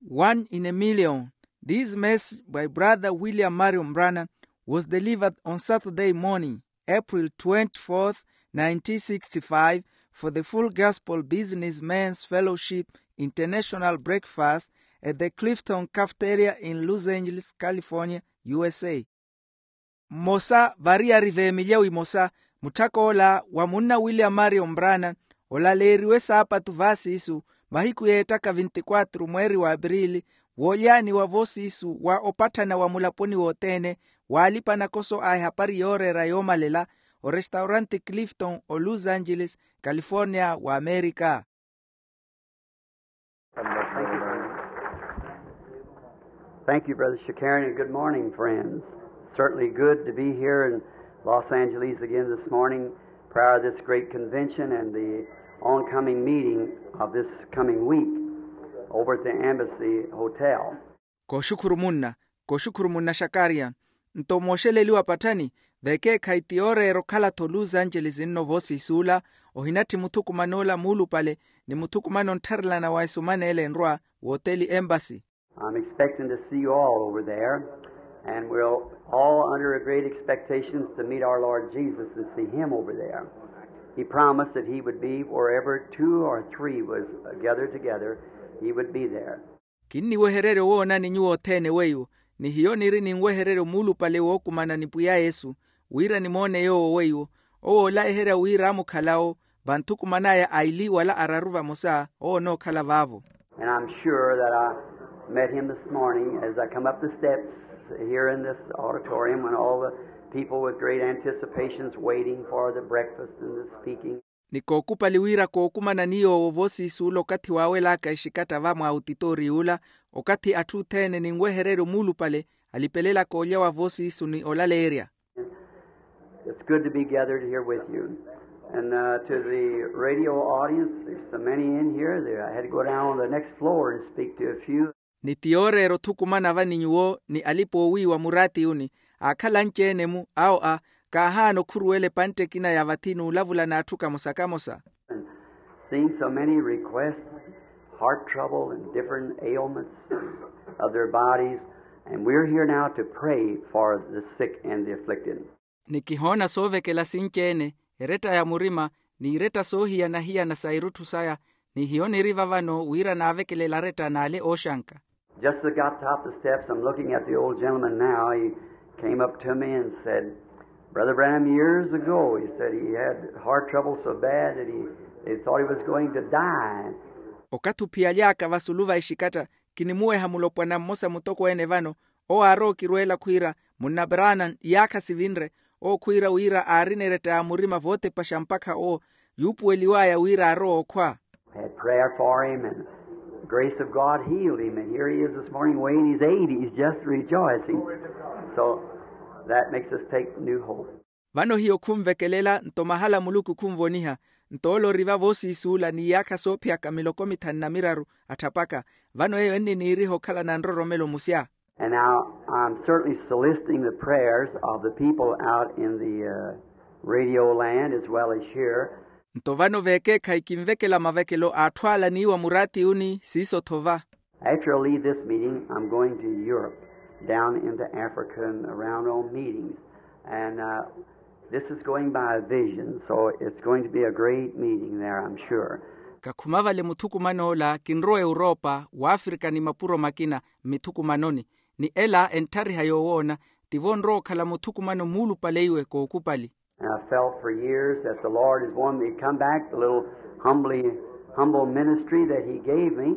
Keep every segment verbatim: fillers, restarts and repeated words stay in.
One in a million. This message by Brother William Marion Branham was delivered on Saturday morning, April twenty-fourth, nineteen sixty-five, for the Full Gospel Businessmen's Fellowship International Breakfast at the Clifton Cafeteria in Los Angeles, California, U S A. Mmosa variyari v'emilya wimosa, mutthak'ola wa munna William Marion Branham olaleeriwe saapatu vaasiisu, mahiku yeettaka vinti-quatro mweeri w'apirili, woolyaaniwa voosiisu wa opatthana wa mulaponi wothene w'alipa-nakoso a ehapari yooreera yoomalela, orestaurante Clifton o Los Angeles, California, w'Amerika. Thank you, Brother Shakarian, and good morning, friends. Certainly good to be here in Los Angeles again this morning, prior to this great convention and the oncoming meeting of this coming week over at the Embassy Hotel. Kooxukhuru munna, kooxukhuru munna Shakarian. Nto mooxeleliwa patthani, vekeekhayi ti yooreera okhala-tho Los Angeles nno voosiisuula, ohinatthi muthukuman'ola muulupale ni muthukumano onttharelana wa esuman'ele enrwa, w'oteli Embassy. I'm expecting to see you all over there, and we're all under a great expectations to meet our Lord Jesus and see him over there. He promised that he would be wherever two or three was gathered together, he would be there. Kinniwehererya owoonani nyuwo othene weiwo, ni hiyo niri ninwehereryo muulupale wookumana ni pwiya yesu, wira nimoone yoowo weiwo. Owo oolayiherya wira amukhalawo, vanthukuman'aya aili wala araru vamosa owo onookhala vaavo. And I'm sure that I met him this morning as I come up the steps here in this auditorium when all the people with great anticipations waiting for the breakfast and the speaking. Ni kookupali wira kookumanani yoowo voosiisuula okathi waawel'aka exikatta va mwa autitooriy'ula, okathi atthu othene ninwehereryo muulupale alipelelaka olya wa voosiisu ni olaleerya. It's good to be gathered here with you. And to the radio audience, there's so many in here that I had to go down on the next floor and speak to a few. Ni ti yooreera othukumana va ni nyuwo ni alipa oowiiwa muraatiyuni, aakhala anci-ene-mu awo a, kaahaana okhuruwela epantte ekina ya vathi n'ulavula n'atthu kamosa-kamosa. Seeing so many requests, heart trouble and different ailments of their bodies, and we're here now to pray for the sick and the afflicted. Ni kihoona soovekela sinci-ene, eretta ya murima, ni iretta soohiyana-hiyana sa irutthu saya, ni hiyo niri vavano wira naavekelela aretta n'ale ooxanka. Just as I got top the steps, I'm looking at the old gentleman now. He came up to me and said, Brother Branham, years ago, he said he had heart trouble so bad that he, they thought he was going to die. Okathi ophiyaly'aka vasulu va exikatta, kinimuweha mulopwana mmosa mutokweene vano, owo aarowa okirweela khwiira, munna Branham, iyaakha sivinre, owo khwiira wira aarina eretta ya murima vootepaxa mpakha owo yuupuweliw'aya wira aarowa okhwa. Had prayer for him and the grace of God healed him, and here he is this morning weighing his eighties, just rejoicing. So that makes us take new hope. Vano hiyo khunvekelela nto mahala muluku khunvoniha. Nto ole ori va voosiisuula n'iyaakha soophiyaka miloko mithanu na miraru atthapaka. Vano eyo enniniiriha okhalana nroromelo musya. And now I'm certainly soliciting the prayers of the people out in the radio land as well as here. Nto vano veekeekhayi kinvekela mavekelo a atthu ale aniiwa muraatiyuni siiso-tho va. After I leave this meeting, I'm going to Europe, down into Africa and around on meetings. And this is going by a vision, so it's going to be a great meeting there, I'm sure. Kakhuma vale muthukuman'ola kinrowa europa w'afrika ni mapuro makina mmithukumanoni. Ni ela entthariha yoowoona, tivo onrowa okhala muthukumano muulupale iwe kookupali. And I felt for years that the Lord is wanting me to come back, the little humbly, humble ministry that he gave me.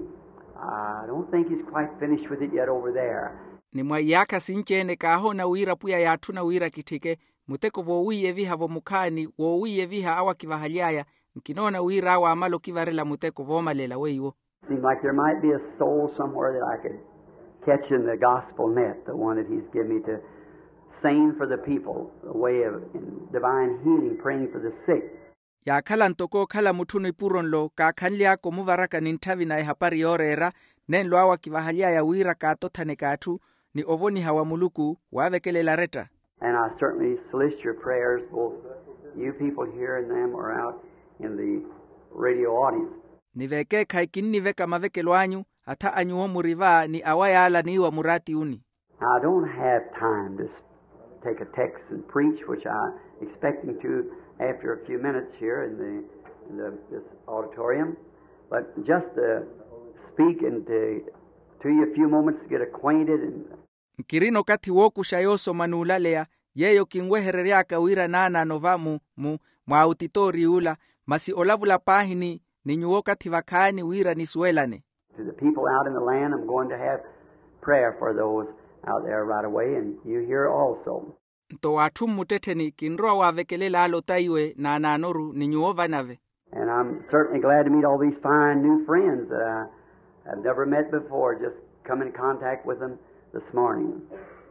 I don't think he's quite finished with it yet over there. Ni mwa iyaakha sinci-ene kaahoona wira pwiya yaatthuna wira kitthike muteko voowiiyeviha-vo mukhaani woowiiyeviha awo akivahaly'aya. Nkinoona wira awo aamala okivarela muteko voomalela weiwo. Seems like there might be a soul somewhere that I could catch in the gospel net, the one that he's given me to sing for the people, the way of divine healing, praying for the sick. Yaakhala ntoko okhala mutthu nipuro nlo kaakhanly'aka omuvaraka ni ntthavi na ehapari yooreera. Nenlo awo akivahaly'aya wira kaatothaneke atthu ni ovoniha wa muluku waavekelela aretta. And I certainly solicit your prayers, both you people here and them are out in the radio audience. Ni veekeekhayi kinniveka mavekelo anyu, atha a nyuwo muri va ni awa yaala aniiwa muraati uni. I don't have time to take a text and preach, which I expecting to after a few minutes here in the, in the this auditorium, but just to speak and to, to you a few moments to get acquainted and nkirina okathi wookuxa yoosoma n'ulaleya yeeyo kinweherery'aka wira naanaano va mu mu mwaawutitoori ula masi olavula paahi ni ni nyuwo okathi vakhaani wira nisuwelane. To the people out in the land, I'm going to have prayer for those out there right away, and you here also. Nto w'atthu mmuttettheni kinrowa waavekelela ale otaiwe naanaanoru ni nyuwo vanave. And I'm certainly glad to meet all these fine new friends that I have never met before, just come in contact with them this morning.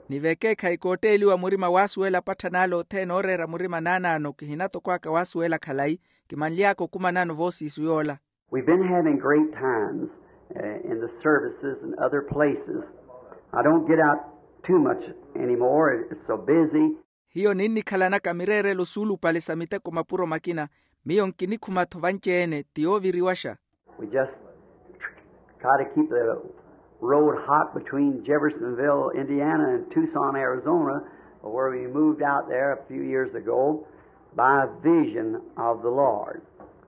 Ni vekeekhayi kootteeliwa murima waasuwela apatthani ale othene ooreera murima naanaano kihina toko aka waasuwela khalayi kimanly'aka okumanano voosiisu yoola. We've been having great times uh, in the services and other places. I don't get out too much anymore. It's so busy. Hiyo ninnikhalanaka mireerelo suulupale sa miteko mapuro makina. Miyo nkinikhuma-tho vanci-ene ti yooviriwaxa. We just try to keep the road hot between Jeffersonville, Indiana, and Tucson, Arizona, where we moved out there a few years ago by a vision of the Lord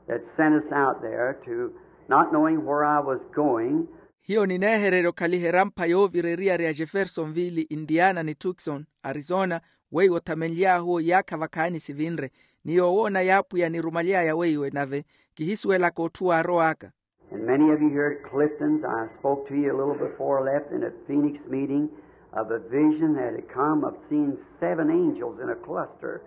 that sent us out there to, not knowing where I was going. Hiyo nineehererya okhaliha erampha yoovira eriyari ya jeffersonville, indiana ni tucson, arizona, weiwo othamenly'ahu iyaakha vakhaani sivinre. Ni yoowoona y'apwiya nirumaly'aya weiwe nave kihisuwelaka otthu waarow'aka. And many of you here at Clifton's, I spoke to you a little before I left in a Phoenix meeting of a vision that had come of seeing seven angels in a cluster.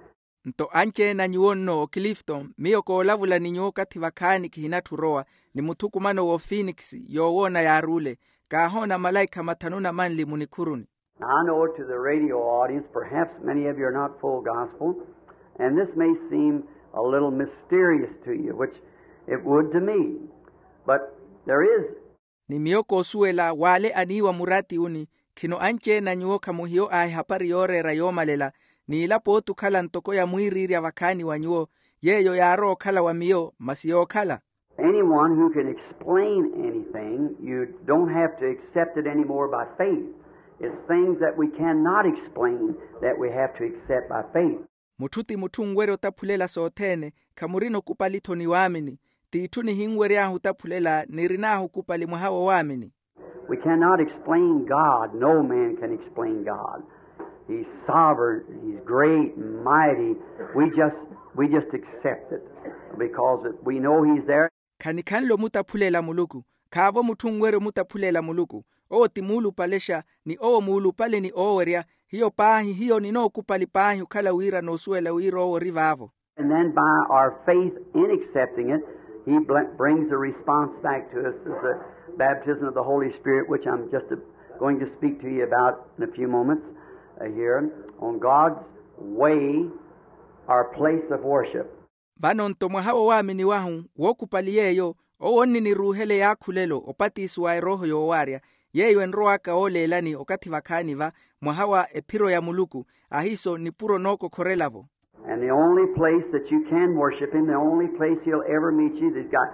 Nto anci-ene a nyuwo nno oclifton miyo koolavula ni nyuwo okathi vakhaani kihinatthu orowa ni muthukumano w'ophoenix yoowoona yaaruule. Kaahoona malaikha mathanu na manli munikhuruni. Now, I know to the radio audience, perhaps many of you are not full gospel, and this may seem a little mysterious to you, which it would to me, but there is. Ni miyo koosuwela w'ale aniiwa muraati uni. Khino anci-ene a nyuwo khamuhiyo a ehapari yooreera yoomalela, n'ila pooti okhala ntoko ya mwiiriirya vakhaani wa nyuwo. Yeeyo yaarowa okhala wa miyo masi yookhala. Anyone who can explain anything, you don't have to accept it anymore by faith. It's things that we cannot explain that we have to accept by faith. Mutthu ti mutthu onwerya otaphulela sothene. Khamurina okupali-tho ni waamini. T'itthu nihinwery'ahu otaphulela nirin'ahu okupali mwaha wa waamini. We cannot explain God. No man can explain God. He's sovereign. He's great and mighty. We just, we just accept it because we know he's there. Khanikhanle omutaphulela muluku. Khaavo mutthu onwerya omutaphulela muluku. Owo ti muulupalexa ni owo muulupale ni oowerya. Hiyo paahi hiyo ninookupali paahi okhala wira noosuwela wira owo ori vaavo. And then by our faith in accepting it, he bl- brings a response back to us as the baptism of the Holy Spirit, which I'm just uh, going to speak to you about in a few moments uh, here on God's way, our place of worship. Vano nto mwaha wowaaminiwahu wookupali yeeyo owo onniniruuhela eyaakhulelo opatiso wa erooho yoowaarya. Yeeyo enrow'aka ooleelani okathi vakhaani va mwaha wa ephiro ya muluku. Ahiiso nipuro nookokhorela-vo. And the only place that you can worship him, the only place he'll ever meet you, that God.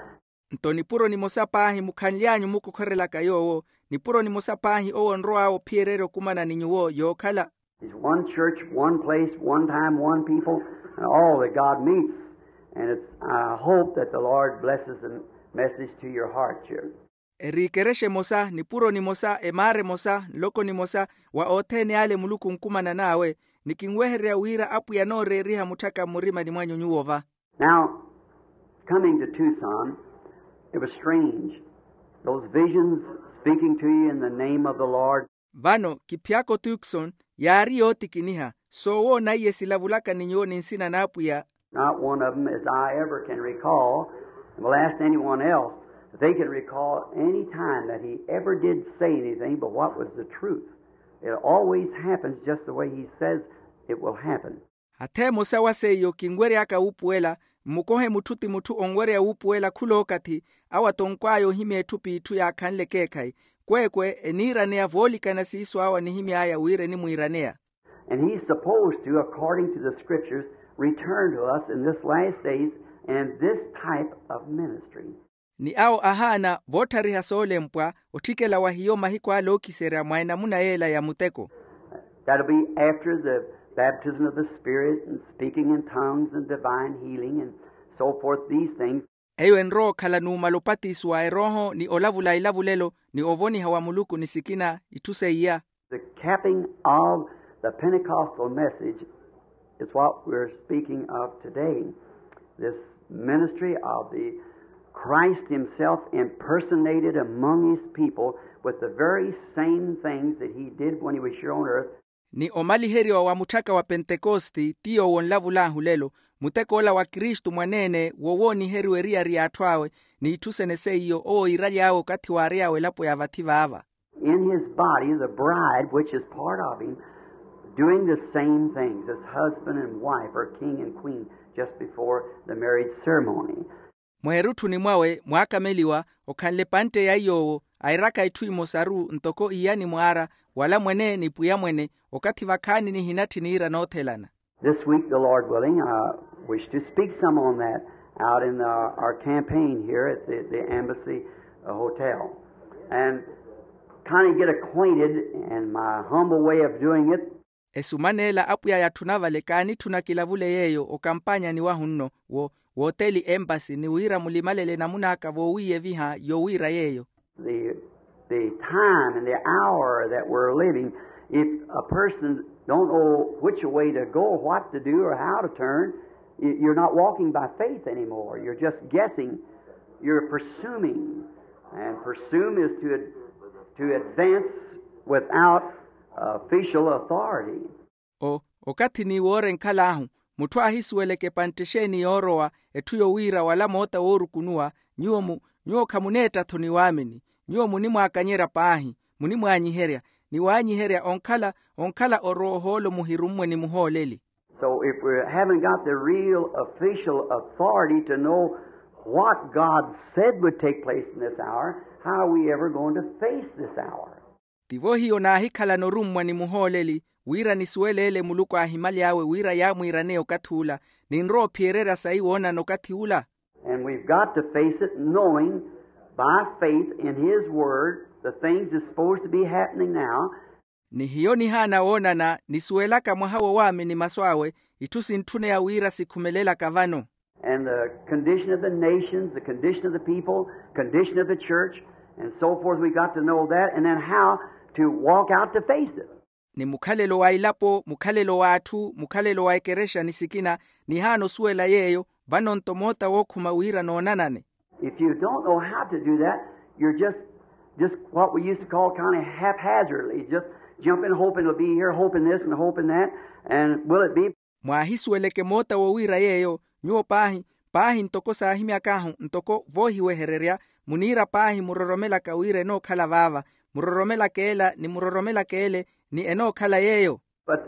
Nto nipuro nimosa paahi mukhanly'anyu mukokhorelaka yoowo. Nipuro nimosa paahi owo onrow'awe ophiyererya okumana ni nyuwo yookhala. There's one church, one place, one time, one people, and all that God meets. And it's, I hope that the Lord blesses the message to your heart here. Eriikerexa emosa nipuro nimosa emaara emosa nloko nimosa wa othene ale muluku onkumanan'awe. Ni kinwehererya wira apwiya anooreeriha mutthaka mmurimani mwanyu nyuwo va. Now, coming to Tucson, it was strange. Those visions speaking to you in the name of the Lord. Vano kiphyaka otukson yaari yootikiniha soowoona iye silavulaka ni nyuwo ni nsina n'apwiya. Not one of them as I ever can recall, and will ask anyone else if they can recall any time that he ever did say anything but what was the truth. It always happens just the way he says it will happen. Hatha emosa wa seiyo kinwery'aka wuupuwela. Mmukohe mutthu ti mutthu onwerya wuupuwela khul'okathi awo atonkw'aya ohimya etthu p'itthu yaakhanle ekeekhayi. Kweekwe eniiraneya voolikana siiso awo anihimy'aya wira enimwiiraneya. And he's supposed to, according to the scriptures, return to us in this last days and this type of ministry. Ni awo ahaana vootthariha soolempwa otthikela wa hiyo mahiku ale ookiserya mwa enamuna yeela ya muteko. That'll be after the baptism of the Spirit and speaking in tongues and divine healing and so forth, these things. Eyo enrowa okhala numala opatiso wa erooho ni olavula ilavulelo ni ovoniha wa muluku ni sikina itthu seiya. The capping of the Pentecostal message is what we're speaking of today. This ministry of the Christ himself impersonated among his people with the very same things that he did when he was here on earth. Ni omaliheriwa wa mutthaka wa pentekosti ti yowo onlavul'ahu lelo, muteko ola wa kristu mwaneene wo wooniheriwa eriyari y'atthu awe, n'itthu sene seiyo owo iiraly'awe okathi waary'awe elapo ya vathi vaava. In his body the bride, which is part of him, doing the same things as husband and wife or king and queen just before the marriage ceremony. Mweerutthuni mwawe mwaakameliwa okhanle epantte ya iy'owo airaka itthu imosaru ntoko iyani mwaara wala mwene ni pwiya mwene, okathi vakhaani nihinatthi niira noothelana. This week, the Lord willing, I wish to speak some on that out in our, our campaign here at the, the Embassy, uh, Hotel. And kind of get acquainted, and my humble way of doing it. Esuman'ela apwiya yatthuna vale kaanitthuna kilavule yeeyo okampaanyani wahu nno wo, w'oteli empasi ni wira mulimalele enamun'aka voowiiyeviha yowiira yeeyo. The, the time and the hour that we're living, if a person don't know which way to go, what to do, or how to turn, y-, you're not walking by faith anymore. You're just guessing. You're presuming. And presume is to ad-, to advance without official authority. O, okathi ni woora enkhal'ahu, mutthu aahisuweleke epantte exeeni yoorowa, etthu yowiira wala moota woorukunuwa, nyuwo mu, nyuwo khamuneetta-tho ni waamini. Nyuwo munimwaakanyerya paahi, munimwaanyiherya, ni waanyiherya onkhala, onkhala orowa ohoolo muhirummwe ni muhooleli. So if we haven't got the real official authority to know what God said would take place in this hour, how are we ever going to face this hour? Tivo hiyo naahikhalana orummwa ni muhooleli, wira nisuwele ele muluku aahimaly'awe wira yaamwiiraneya okathi ula, ninrowa ophiyererya sayi woonana okathi ula. And we've got to face it knowing by faith in his word the things is supposed to be happening now. Ni hiyo nihaana woonana nisuwelaka mwaha wo waamini masu awe, itthu sintthuneya wira sikhumelelaka vano. And the condition of the nations, the condition of the people, condition of the church, and so forth. We got to know that, and then how to walk out to face it. Ni mukhalelo wa ilapo, mukhalelo w'atthu, mukhalelo wa ekerexa ni sikina, nihaana osuwela yeeyo, vano-nto moota wookhuma wira noonanane. If you don't know how to do that, you're just, just what we used to call kind of haphazardly, just jumping, hoping it'll be here, hoping this and hoping that, and will it be? Mwaahisuweleke moota wowiira yeeyo, nyuwo paahi, paahi ntoko saahimyak'ahu ntoko voohiwehererya, muniira paahi muroromelaka wira enookhala vaava, muroromelaka ela ni muroromelaka ele, ni enookhala yeeyo. But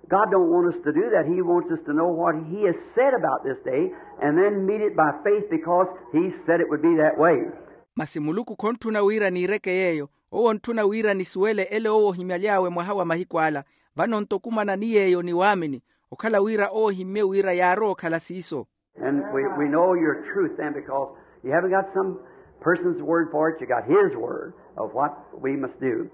God don't want us to do that. He wants us to know what he has said about this day and then meet it by faith because he said it would be that way. Masi muluku khontthuna wira niireke yeeyo, owo ontthuna wira nisuwele ele owo ohimyaly'awe mwaha wa mahiku ala. Vano-nto okumana ni yeeyo ni waamini, okhala wira owo ohimmye wira yaarowa okhala siiso. And we, we know your truth then, because you haven't got some person's word for it, you got his word of what we must do.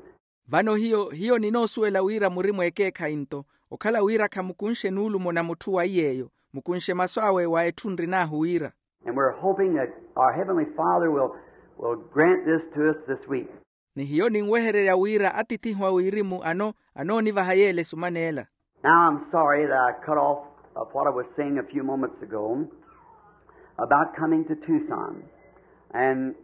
Vano hiyo, hiyo ninoosuwela wira muri mweekeekhayi-nto, okhala wira khamukunxe nuulumo na mutthu wa iy'eyo, mukunxe masu awe wa etthu nrin'ahu wira. And we're hoping that our Heavenly Father will, will grant this to us this week. Ni hiyo ninwehererya wira atithihu a wirimu ano, anoonivaha yeela esuman'ela. Now I'm sorry that I cut off of what I was saying a few moments ago about coming to Tucson. And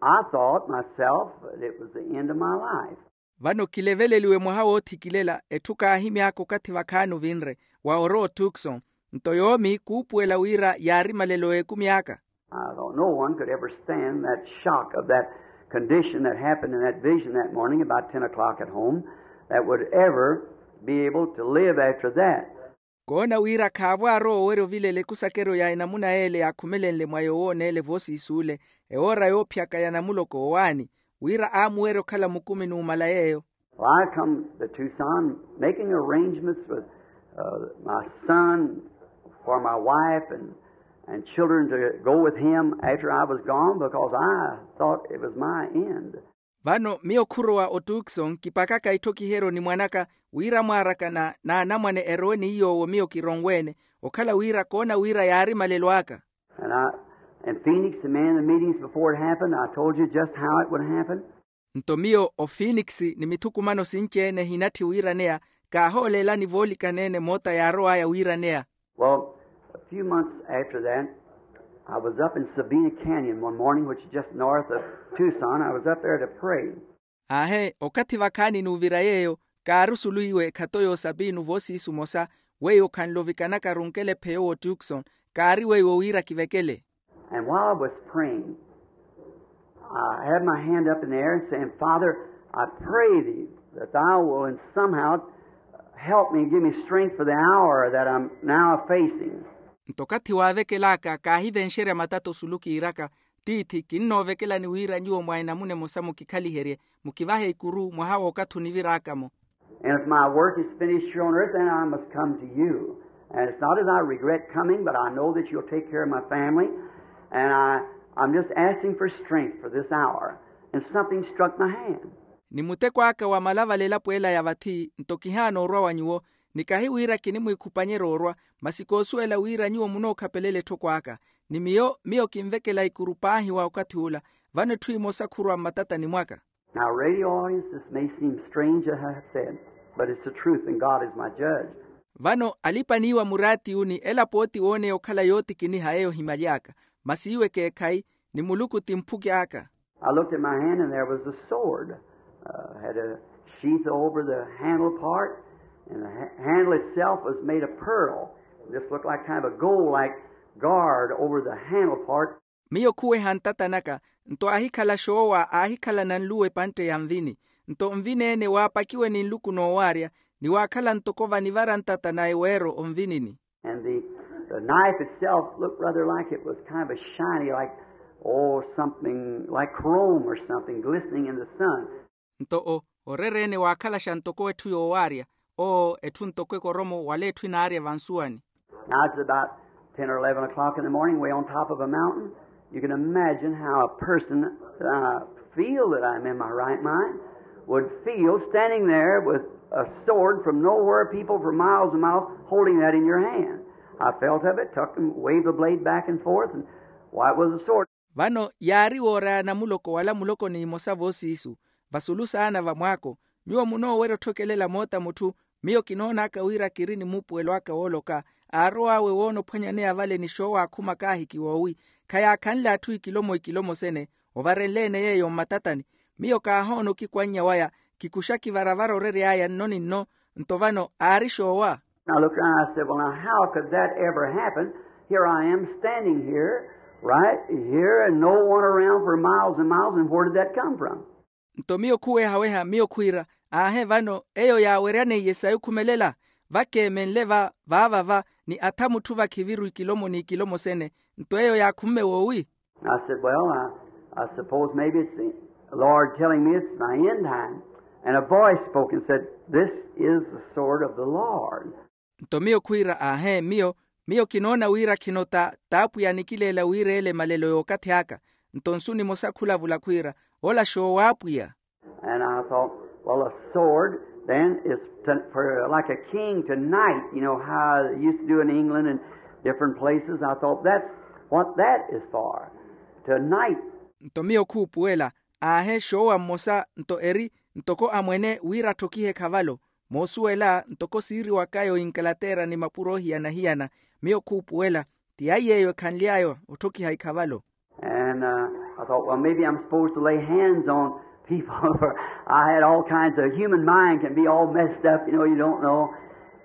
I thought myself that it was the end of my life. Vano kileveleliwe mwaha woothikilela etthu kaahimy'aka okathi vakhaani ovinre, wa orowa otucson. Nto yoomi kuupuwela wira yaari malelo a ekumi aka. I thought no one could ever stand that shock of that condition that happened in that vision that morning about ten o'clock at home that would ever be able to live after that. Koona wira khaavo aarowa owerya ovilela ekusakeryo ya enamuna y'ele yaakhumelenle mwa yowooneele voosiisi ole, ewoora yoophiyaka ya namuloko owaani, wira aamuwerya okhala mukumi numala yeeyo. Well, I come to Tucson making arrangements with, uh, my son for my wife and And children to go with him after I was gone, because I thought it was my end. Vano miyo khurowa otukson kipakaka itthokiheryo ni mwanaka wira mwaarakana n'anamwane erowe ni iy'owo miyo kironwe-ene, okhala wira koona wira yaari malelo aka. And I, in Phoenix, the men in the meetings before it happened, I told you just how it would happen. Nto miyo ofinikisi ni mithukumano sinci-ene ehinatthi wiiraneya, kaahooleelani voolikana-ene moota yaarow'aya wiiraneya. Well, a few months after that, I was up in Sabina Canyon one morning, which is just north of Tucson. I was up there to pray. Aahe, okathi vakhaani n'uvira yeeyo, kaari osulu iwe ekhato y'osapinu voosiisu mosa, weiwo khanlovikanaka runkela epheyo w'otukson, kaari weiwo wira kivekele. And while I was praying, I had my hand up in the air and saying, "Father, I pray thee that thou will in somehow help me, give me strength for the hour that I'm now facing." Nto okathi waavekel'aka kaahivenxerya matata osulu kiiraka, tiithi kinnoovekelani wira nyuwo mwa enamuna emosa mukikhaliherye, mukivahe ikuru mwaha w'okathi onivir'aka-mo. And if my work is finished here on earth, then I must come to you. And it's not as I regret coming, but I know that you'll take care of my family. And I, I'm just asking for strength for this hour. And something struck my hand. Ni muteko aka wamala vale elapo ela ya vathi, nto kihaana orwa wa nyuwo, ni kahi wira kinimwikhupanyerya orwa, masi koosuwela wira nyuwo munookhapelela etthoko aka. Ni miyo, miyo kinvekela ikuru paahi wa okathi ula, vano etthu emosa khurwa mmatatani mwaka. Now, radio audience, this may seem strange, as I said, but it's the truth, and God is my judge. Vano alipa niiwa muraatiyuni, ela pooti wooneya okhala yootikiniha eyo ohimaly'aka, masi iwe keekhayi, ni muluku ti mphuki aka. I looked at my hand, and there was a sword. Uh, had a sheath over the handle part, and the ha- handle itself was made of pearl. This looked like kind of a gold-like guard over the handle part. Miyo khuweha ntata naka, nto aahikhala xoowa aahikhalana nluwa epantte ya nvini. Nto nvini-ene waapakiwe ni nluku noowaarya, ni waakhala ntoko vanivara ntata na eweero onvinini. And the, the knife itself looked rather like it was kind of a shiny, like, oh, something like chrome or something glistening in the sun. Nto o orerene waakhalaxa ntoko etthu yoowaarya, oo etthu ntoko ekoromo wala etthu enaarya vansuwani. Now it's about ten or eleven o'clock in the morning, way on top of a mountain. You can imagine how a person, uh, feel that I'm in my right mind, would feel standing there with a sword from nowhere, people for miles and miles, holding that in your hand. I felt of it, took and waved the blade back and forth, and why, it was a sword. Vano yaari wooraya namuloko wala muloko n'imosa voosiisu, vasulu saana va mwaako, nyuwo munoowerya otthokelela moota mutthu. Miyo kinoon'aka wira kiri ni muupuwelo aka wooloka, aarow'awe woona ophwanyaneya vale ni xoowa akhuma kaahikiwa owi, khayaakhanle atthu ikilomo ikilomo sene, ovarenle-ene yeeyo mmatatani. Miyo kaahoona okikwannya waya, kikuxa kivaravara orery'aya nno ni nno. Nto vano aari xoowa. I looked around and I said, "Well, now, how could that ever happen? Here I am standing here, right here, and no one around for miles and miles, and where did that come from?" Nto miyo khuwehaweha, miyo khwiira, aahe, vano eyo yaaweryaneiye sayi okhumelela? Vakeemenle va vaavava, ni atha mutthu vakhiviru ikilomo n'ikilomo sene. Nto eyo yaakhumme woowi? I said, "Well, I, I suppose maybe it's the Lord telling me it's my end time." And a voice spoke and said, "This is the sword of the Lord." Nto miyo khwiira, aahe, miyo, miyo kinoona wira khino ta t'apwiya anikileela wiireela emalelo y'okathi aka. Nto nsu nimosa khulavula khwiira, ola xoowa apwiya. And I thought, "Well, a sword then is to, for, like, a king to knight, you know, how they used to do in England and different places." I thought, "That's what that is for, to knight." Nto miyo khuupuwela, aahe, xoowa mmosa nto eri ntoko amwene wira atthokihe ekhavalo. Moosuwela ntoko siiriwakaya o ingalaterra ni mapuro ohiyana-hiyana, miyo khuupuwela ti aiy'eyo ekhanly'aya otthokiha ikhavalo. And, uh, I thought, "Well, maybe I'm supposed to lay hands on people." For I had all kinds of, human mind can be all messed up, you know, you don't know.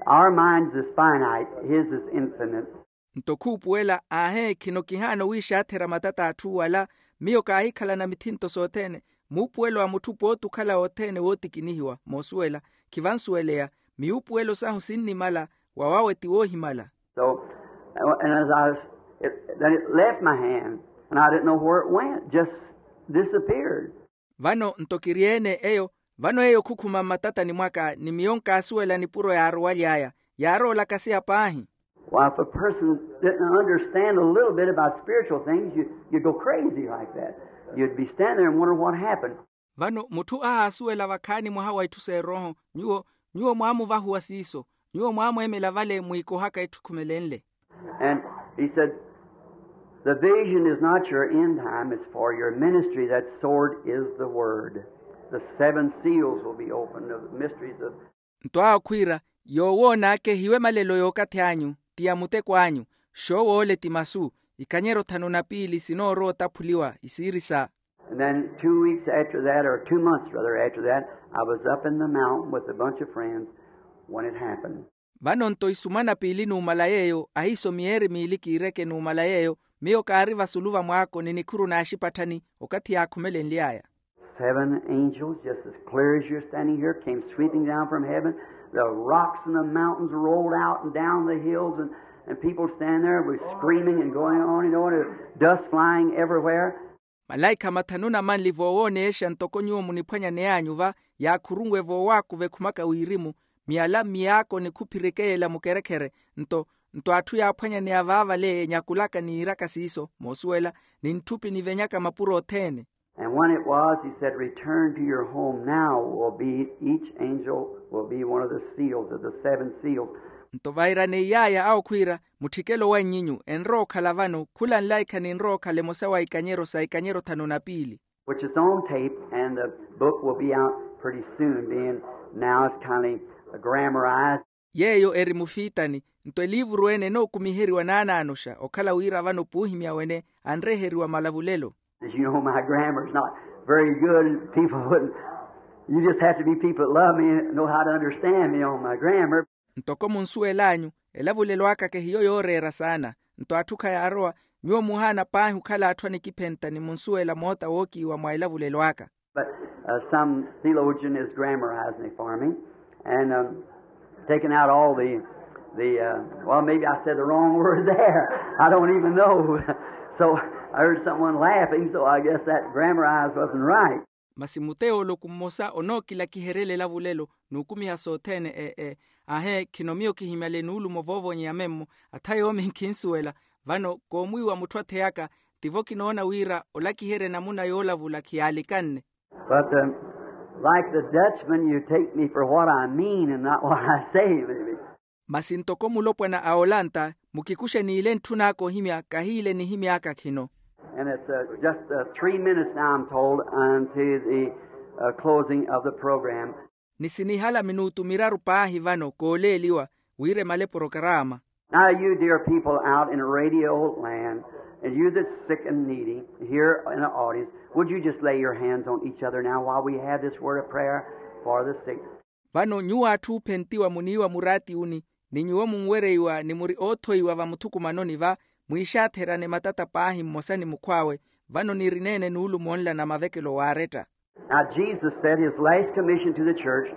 Our mind's is finite, his is infinite. Nto khuupuwela, aahe, khino kihaana owiixaatherya matata a atthu wala. Miyo kaahikhalana mithinto sothene. Muupuwelo wa mutthu pooti okhala othene wootikinihiwa, moosuwela, khivansuweleya. Miupuwelo sahu sinnimala, wawawe ti woohimala. So, and as I was, it, then it left my hand, and I didn't know where it went, just disappeared. Vano nto kiri-ene eyo, vano eyo khukhuma mmatatani mwaka, ni miyo nkaasuwela nipuro yaarowaly'aya, yaaroolaka siya paahi. Well, if a person didn't understand a little bit about spiritual things, you, you'd go crazy like that. You'd be standing there and wonder what happened. Vano mutthu ahaasuwela vakhaani mwaha wa itthu s'erooho, nyuwo nyuwo mwaamuvahuwa siiso. Nyuwo mwaamweemela vale mwiikohaka etthu ekhumelenle. And he said, the vision is not your end time, it's for your ministry. That sword is the word. The seven seals will be opened, the mysteries of. Nto awo khwiira, yoowoon'aka ehiwe malelo y'okathi anyu, ti ya muteko anyu. Xoowoole ti masu. Ikanyero thanu na piili sinoorowa otaphuliwa isiiri sa. And then two weeks after that, or two months rather after that, I was up in the mountain with a bunch of friends when it happened. Vano nto isumana piili numala yeeyo, ahiiso miyeeri miili kiireke numala yeeyo, miyo kaari vasulu va mwaako ni nikhuru naaxipatthani, okathi yaakhumelenly'aya. Seven angels, just as clear as you're standing here, came sweeping down from heaven. The rocks and the mountains rolled out and down the hills, and, and people stand there with screaming and going on and on, and dust flying everywhere. Malaikha mathanu na manli voowooneexa ntoko nyuwo muniphwanyaney'anyu va, yaakhurunwe voowaakuva ekhumaka wirimu, miyala mmiyaako ni khuphirikeyela mukerekhere. Nto nto atthu yaaphwanyaneya vaavale enyakulaka niiraka siiso moosuwela, ni ntthupi nivenyaka mapuro othene. And when it was, he said, return to your home now, will be, each angel will be one of the seals of the seven seals. Nto vairaneiyaaya awo khwiira, mutthikelo wa nnyinyu enrowa okhala vano, khula nlaikha ninrowa okhala emosa wa ikanyero sa ikanyero thanu na piili. Which is on tape, and the book will be out pretty soon, being now it's kind of grammarized. Yeeyo eri mufiitani. Nto eliivuru ene enookumiheriwa naanaanoxa okhala wira vano puuhimya wene anreheriwa malavulelo. As you know, my grammar's not very good, and people wouldn't, you just have to be people that love me and know how to understand me on my grammar. Ntoko munsuwel'anyu, elavulelo akake hiyo yooreera saana. Nto atthu khayaarowa, nyuwo muhaana paahi okhala atthu anikiphenta ni munsuwela moota wookiiwa mwa elavulelo aka. But, uh, some theologian is grammarizing it for me and, um, taking out all the, the, uh, well, maybe I said the wrong word there. I don't even know. So I heard someone laughing, so I guess that grammarized wasn't right. Masi muteoloku mmosa onookilakiheryela elavulelo n'ukumiha sothene e e. Ahe khino miyo kihimyale nuulumo voovonyeya memmo. Atha yoomi nkhinsuwela. Vano koomwiiwa mutthu atheyaka, tivo kinoona wira olakiherya enamuna yoolavula khiyalikanne. But, um, like the Dutchman, you take me for what I mean and not what I say, maybe. Masi ntoko mulopwana a olanta, mukikuxe niile ntthun'aka ohimya kahiile nihimy'aka khino. And it's, uh, just, uh, three minutes now, I'm told, unto the, uh, closing of the program. Ni sinihala minutu miraru paahi vano kooleeliwa wira emale porokaraama. Now, you dear people out in radio land, and you that's sick and needy here in the audience, would you just lay your hands on each other now while we have this word of prayer for the sick? Vano nyuwo atthu oophentiwa muniiwa muraatiuni, ni nyuwo munwereiwa ni muri oothoiwa vamuthukumanoni va, mwiixaatherane matata paahi mmosa ni mukhw'awe. Vano nirineene nuulumo nla na mavekelo waaretta. Now, Jesus said his last commission to the church,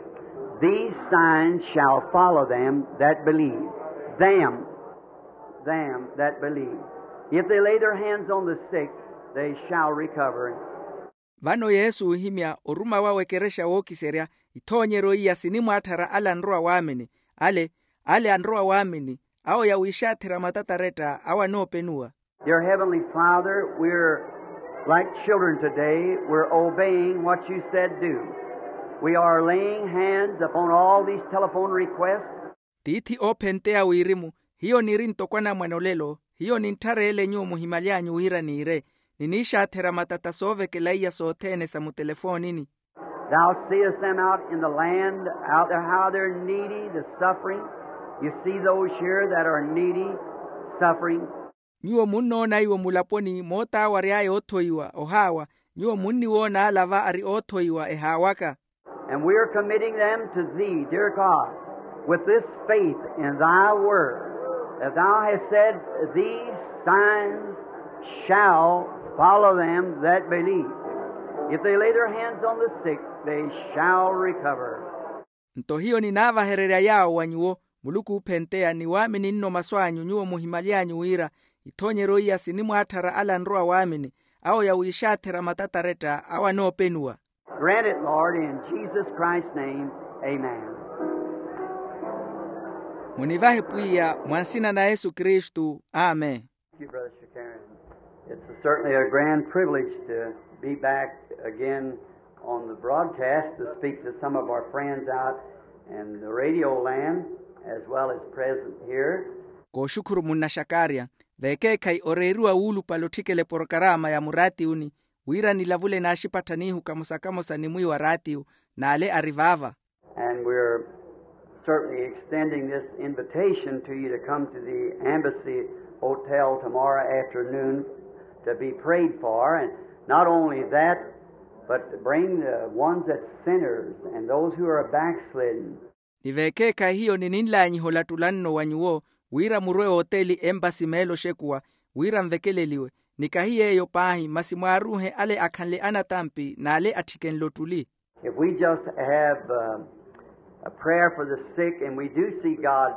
these signs shall follow them that believe. Them, them that believe. If they lay their hands on the sick, they shall recover. Vano yesu oohimya oruma wawe ekerexa wookiserya, ithoonyeryo iya sinimwaatthara ale anrowa waamini. Ale ale anrowa waamini, awo yawiixaatherya matataretta awo anoopenuwa. Dear Heavenly Father, we're like children today. We're obeying what you said do. We are laying hands upon all these telephone requests. Tiithi oophenteya wirimu, hiyo niri ntoko anamwane olelo. Hiyo nintthareele nyuwo muhimaly'anyu wira niire, niniixaatherya matata soovekela iya sothene sa mutelefoonini. Thou seest them out in the land, out there, how they're needy, the suffering. You see those here that are needy, suffering. Nyuwo munnoona iwo mulaponi moota awo ary'aya oothoiwa ohaawa. Nyuwo munniwoona ala va ari oothoiwa ehaawaka. And we are committing them to thee, dear God, with this faith in thy word, that thou hast said, these signs shall follow them that believe. If they lay their hands on the sick, they shall recover. Nto hiyo ninaavahererya yaawo wa nyuwo muluku oophenteya ni waamini nno masu anyu nyuwo muhimaly'anyu wira, ithoonyeryo iya sinimwaatthara ale anrowa waamini, awo yawiixaatherya matataretta awo anoopenuwa. Grant it, Lord, in Jesus Christ's name. Amen. Munivahe pwiya mwa nsina na yesu kristu. Amen. Thank you, Brother Shakarian. It's certainly a grand privilege to be back again on the broadcast to speak to some of our friends out in the radio land as well as present here. Kooxukhuru munna xakarya, vekeekhayi oreeriwa wuulupale otthikela eporokarama ya muraatiyuni, wira nilavule naaxipattha niihu kamosa-kamosa ni mwiiwa raatiyu n'ale ari vaava. And we're certainly extending this invitation to you to come to the Embassy Hotel tomorrow afternoon to be prayed for. And not only that, but to bring the ones that's sinners and those who are backslidden. Ni vekeekhayi hiyo nininlaanyiha olattulanno wa nyuwo, wira murwe ooteli empasi meelo oxekuwa, wira nvekeleliwe. Ni kahi yeeyo paahi, masi mwaaruuhe ale akhanle anatampi n'ale atthikenle ottuli. If we just have a prayer for the sick, and we do see God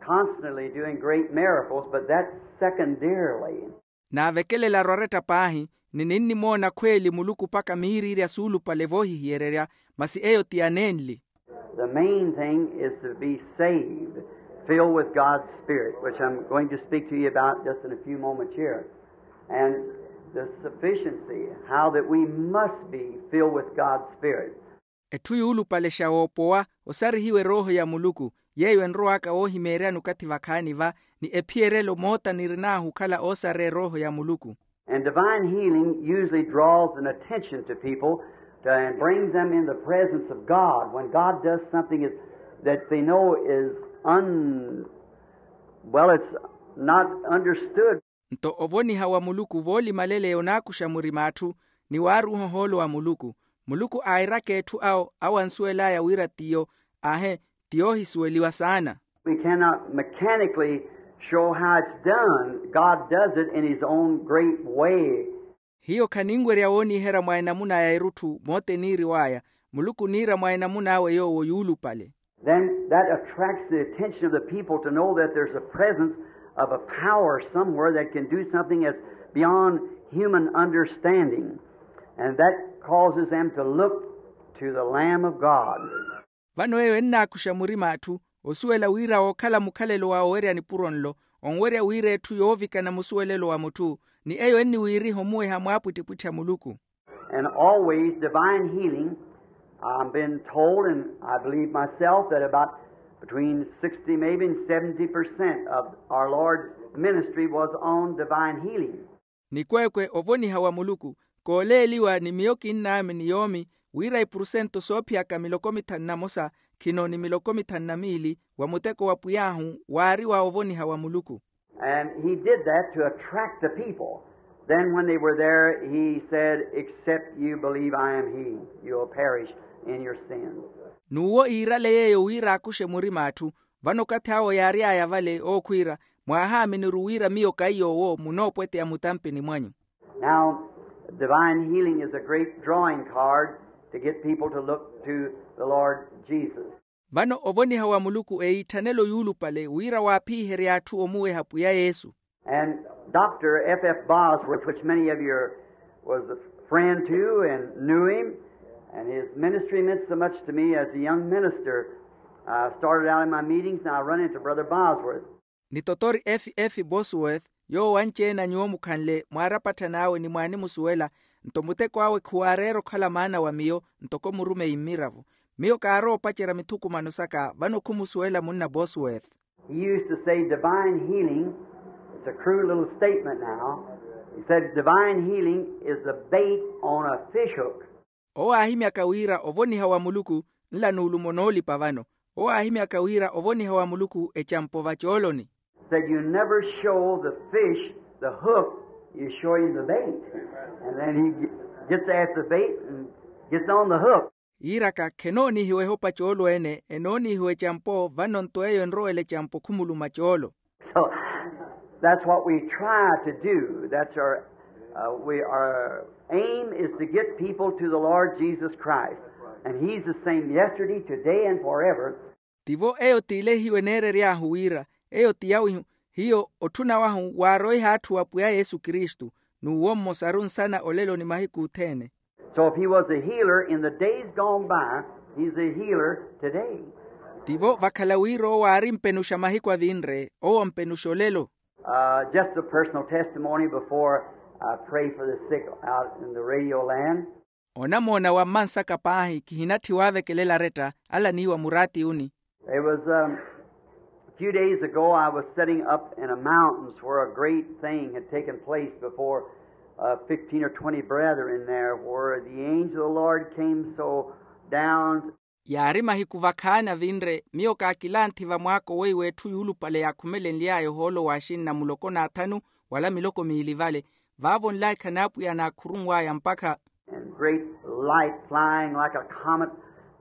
constantly doing great miracles, but that's secondarily. Naavekelela arwaretta paahi, ni ninnimoona khweeli muluku mpakha miiriirya suulupale voohihiyererya, masi eyo ti aneenli. The main thing is to be saved, filled with God's Spirit, which I'm going to speak to you about just in a few moments here. And the sufficiency, how that we must be filled with God's Spirit. Etthu yuulupale xa woopowa, osarihiwe erooho ya muluku, yeeyo enrowaka woohimeeryani okathi vakhaani va, ni ephiyerelo moota nirin'ahu okhala oosareya erooho ya muluku. And divine healing usually draws an attention to people to, and brings them in the presence of God when God does something is, that they know is un, well, it's not understood. Nto ovoniha wa muluku voolimaleleya onaakuxa murima atthu, ni waaruuha ohoolo wa muluku. Muluku airaka etthu awo awo ansuwel'aya wira tiyo, ahe, ti yoohisuweliwa saana. We cannot mechanically show how it's done. God does it in his own great way. Hiyo khaninwerya wooniherya mwa enamuna ya erutthu moote eniiriw'aya. Muluku oniira mwa enamun'awe yoowo yuulupale. Then that attracts the attention of the people to know that there's a presence of a power somewhere that can do something that's beyond human understanding. And that causes them to look to the Lamb of God. Vano eyo ennaakuxa murima atthu, osuwela wira wookhala mukhalelo wa owerya nipuro nlo, onwerya wira etthu yoovikana musuwelelo wa mutthu, ni eyo enniwiiriha omuweha mwaapwittipwitthi a muluku. And always divine healing, I've been told, and I believe myself, that about between sixty maybe and seventy percent of our Lord's ministry was on divine healing. Nikweekwe ovoniha wa muluku, kooleeliwa ni miyo kinnaami ni yoomi, wira ipurusento soophiyaka miloko mithanu na mosa khino ni miloko mithanu na miili wa muteko wa pwiy'ahu waari wa ovoniha wa muluku. And he did that to attract the people. Then when they were there, he said, except you believe I am he, you'll perish in your sins. N'uwo iirale yeeyo wira aakuxe murima atthu. Vano okathi awo yaary'aya vale ookhwiira, mwahaaminiru wira miyo kahi yoowo munoopweteya mutampini mwanyu. Now, divine healing is a great drawing card to get people to look to the Lord Jesus. Vano ovoniha wa muluku eitthanelo yuulupale wira waaphiherya atthu omuweha pwiya yesu. And Doctor F F Bosworth, which many of you are, was a friend to and knew him, and his ministry meant so much to me as a young minister. I started out in my meetings and I run into Brother Bosworth. Ni totori f f bosworth, yoowo anci-ene a nyuwo mukhanle mwaarapatthani awe ni mwaanimusuwela. Nto muteko awe khuwaareera okhala maana wa miyo, ntoko murumeyi mmiravo. Miyo kaarowa opacerya mithukumano saka vano khumusuwela munna bosworth. He used to say divine healing, it's a crude little statement now, he said divine healing is the bait on a fish hook. Owo aahimyaka wira ovoniha wa muluku, nla nuulumo noolipa vano. Owo aahimyaka wira ovoniha wa muluku ecampo vacooloni. Said you never show the fish the hook, you show him the bait. And then he gets at the bait and gets on the hook. Yiiraka khenoonihiwa ehopa coolo ene, enoonihiwa ecampo vano nto eyo enrowela ecampo khumuluma coolo. So that's what we try to do. That's our, uh, we, our aim is to get people to the Lord Jesus Christ. And he's the same yesterday, today, and forever. Tivo eyo t'ile hiyo eneerery'ahu wira, eyo ti yawihu, hiyo otthuna wahu waaroiha atthu wa pwiya yesu kristu, n'uwo mmosaru nsana olelo ni mahiku othene. So if he was a healer in the days gone by, he's a healer today. Tivo vakhala wira owo aari mpenuxa mahiku avinre, owo mpenuxa olelo. Just a personal testimony before I pray for the sick out in the radio land. Onamoona wa mmansaka paahi kihinatthi waavekelela aretta ala niiwa muraati uni. It was a few days ago, I was sitting up in a mountains where a great thing had taken place before fifteen or twenty brethren there, where the angel of the Lord came so down. Yaari mahiku vakhaani avinre miyo kaakilanthi vamwaako weiwo etthu yuulupale yaakhumelenly'aya ohoolo w'axinna muloko n'athanu wala miloko miili vale. Vaavo nlaikha n'apwiya naakhurunw'aya mpakha. And great light flying like a comet,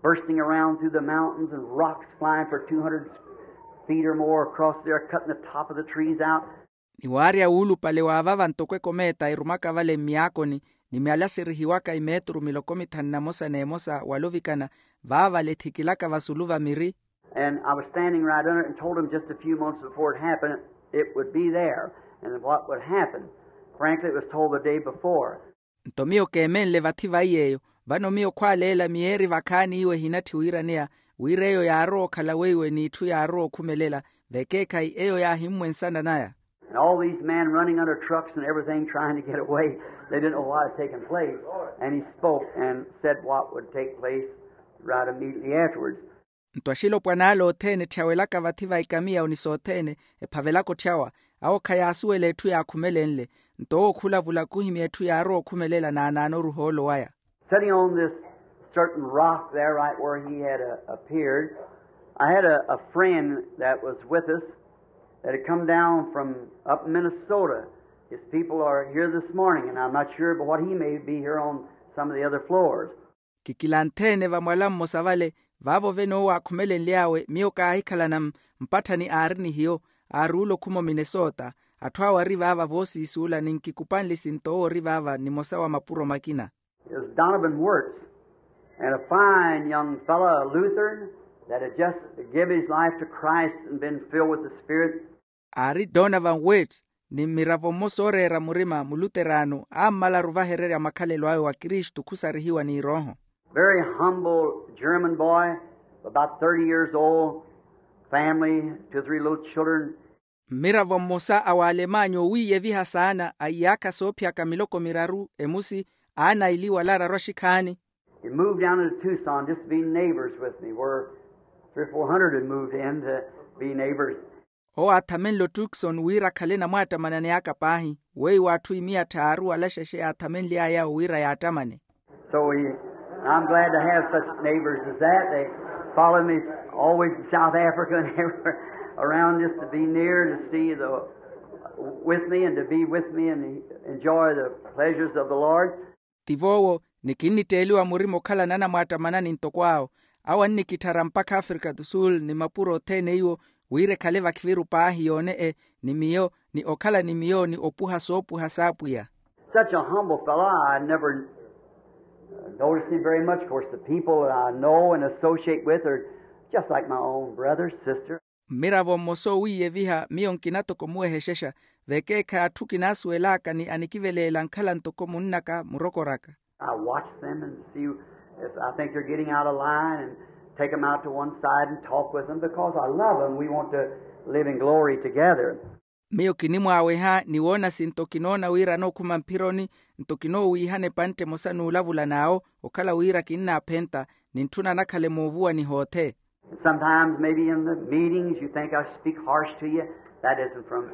bursting around through the mountains, and rocks flying for two hundred feet or more across there, cutting the top of the trees out. Ni waarya wuulupale wa vava ntoko ekomeeta erumaka vale mmiyaakoni, ni myalaserihiwaka imeeturu miloko mithanu na mosa n'emosa wala ovikana, vaavale ethikilaka vasulu va miri. And I was standing right under it and told him just a few months before it happened, it would be there, and what would happen. Frankly, it was told the day before. Nto miyo keemenle vathi vaiy'eyo, vano miyo khwaaleela miyeeri vakhaani iwo ehinatthi wiiraneya, wira eyo yaarowa okhala weiwe n'itthu yaarowa okhumelela, vekeekhayi eyo yaahimmwensana naya. And all these men running under trucks and everything trying to get away, they didn't know what had taken place. And he spoke and said what would take place right immediately afterwards. Nto axilopwan'ala othene etthiyawelaka vathi va ikamiya ni sothene, ephavelaka otthiyawa, awo khayaasuwela etthu yaakhumelenle. Nto owo khulavula khuhimya etthu yaarowa okhumelela naanaanoru ohoolo waya. Sitting on this certain rock there, right where he had appeared, I had a friend that was with us that had come down from up Minnesota. His people are here this morning, and I'm not sure but what he may be here on some of the other floors. Kikilantheene vamwala mmosa vale, vaavo vene owo aakhumelenly'awe miyo kaahikhalana mpatthani aari ni hiyo. Aaruula okhuma ominesota. Atthu awo ari vaava voosiisuula ni nkikupanle sinto owo ori vaava nimosa wa mapuro makina. Is donovan wirtz, and a fine young fellow a lutheran, that had just give his life to christ and been filled with the spirit. Aari donovan wirtz, ni mmiravo mmosa ooreera murima muluteraano ammalaru ovahererya makhalelo awe wa kristu khusarihiwa ni erooho. Very humble german boy, about thirty years old, family, two or three little children. Mmiravo mmosa a waalemanya owiiyeviha saana a iyaakha soophiyaka miloko miraru emusi, aana aili wala araru axikhaani. He moved down into tucson just to be neighbors with me where three or four hundred had moved in to be neighbors. Owo aathamenle otukson wira akhale namwaattamanani aka paahi, weiwo atthu imiya tthaaru wala xexe yaathamenly'aya wira yaattamane. So he, i'm glad to have such neighbors as that. They follow me always in south africa and everywhere around just to be near to see the with me and to be with me and enjoy the pleasures of the lord. Tivoowo, ni kinnitteeliwa murima okhalana anamwaattamanani ntoko awo. Awo annikitthara mpakha afrika do sul ni mapuro othene iwo, wira ekhale vakhiviru paahi yoone-e ni miyo, ni okhala ni miyo ni opuha soopuha s'apwiya. Such a humble fellow, i never noticed him very much. Of course the people that i know and associate with are just like my own brother sister. Mmiravo mmosa owiiyeviha miyo nkina toko muwehexexa, vekeekhayi atthu kinaasuwel'aka ni anikiveleela nkhala ntoko munn'aka murokor'aka. I watch them and see if i think they're getting out of line and take them out to one side and talk with them because i love them we want to live in glory together. Miyo kinimwaaweha ni woona sinto kinoona wira anookhuma mphironi, nto kinoowiihana epantte emosa n'ulavula n'awo, okhala wira kinnaaphenta, ni ntthuna anakhale moovuwani hoothe. Sometimes maybe in the meetings you think i speak harsh to you. That isn't from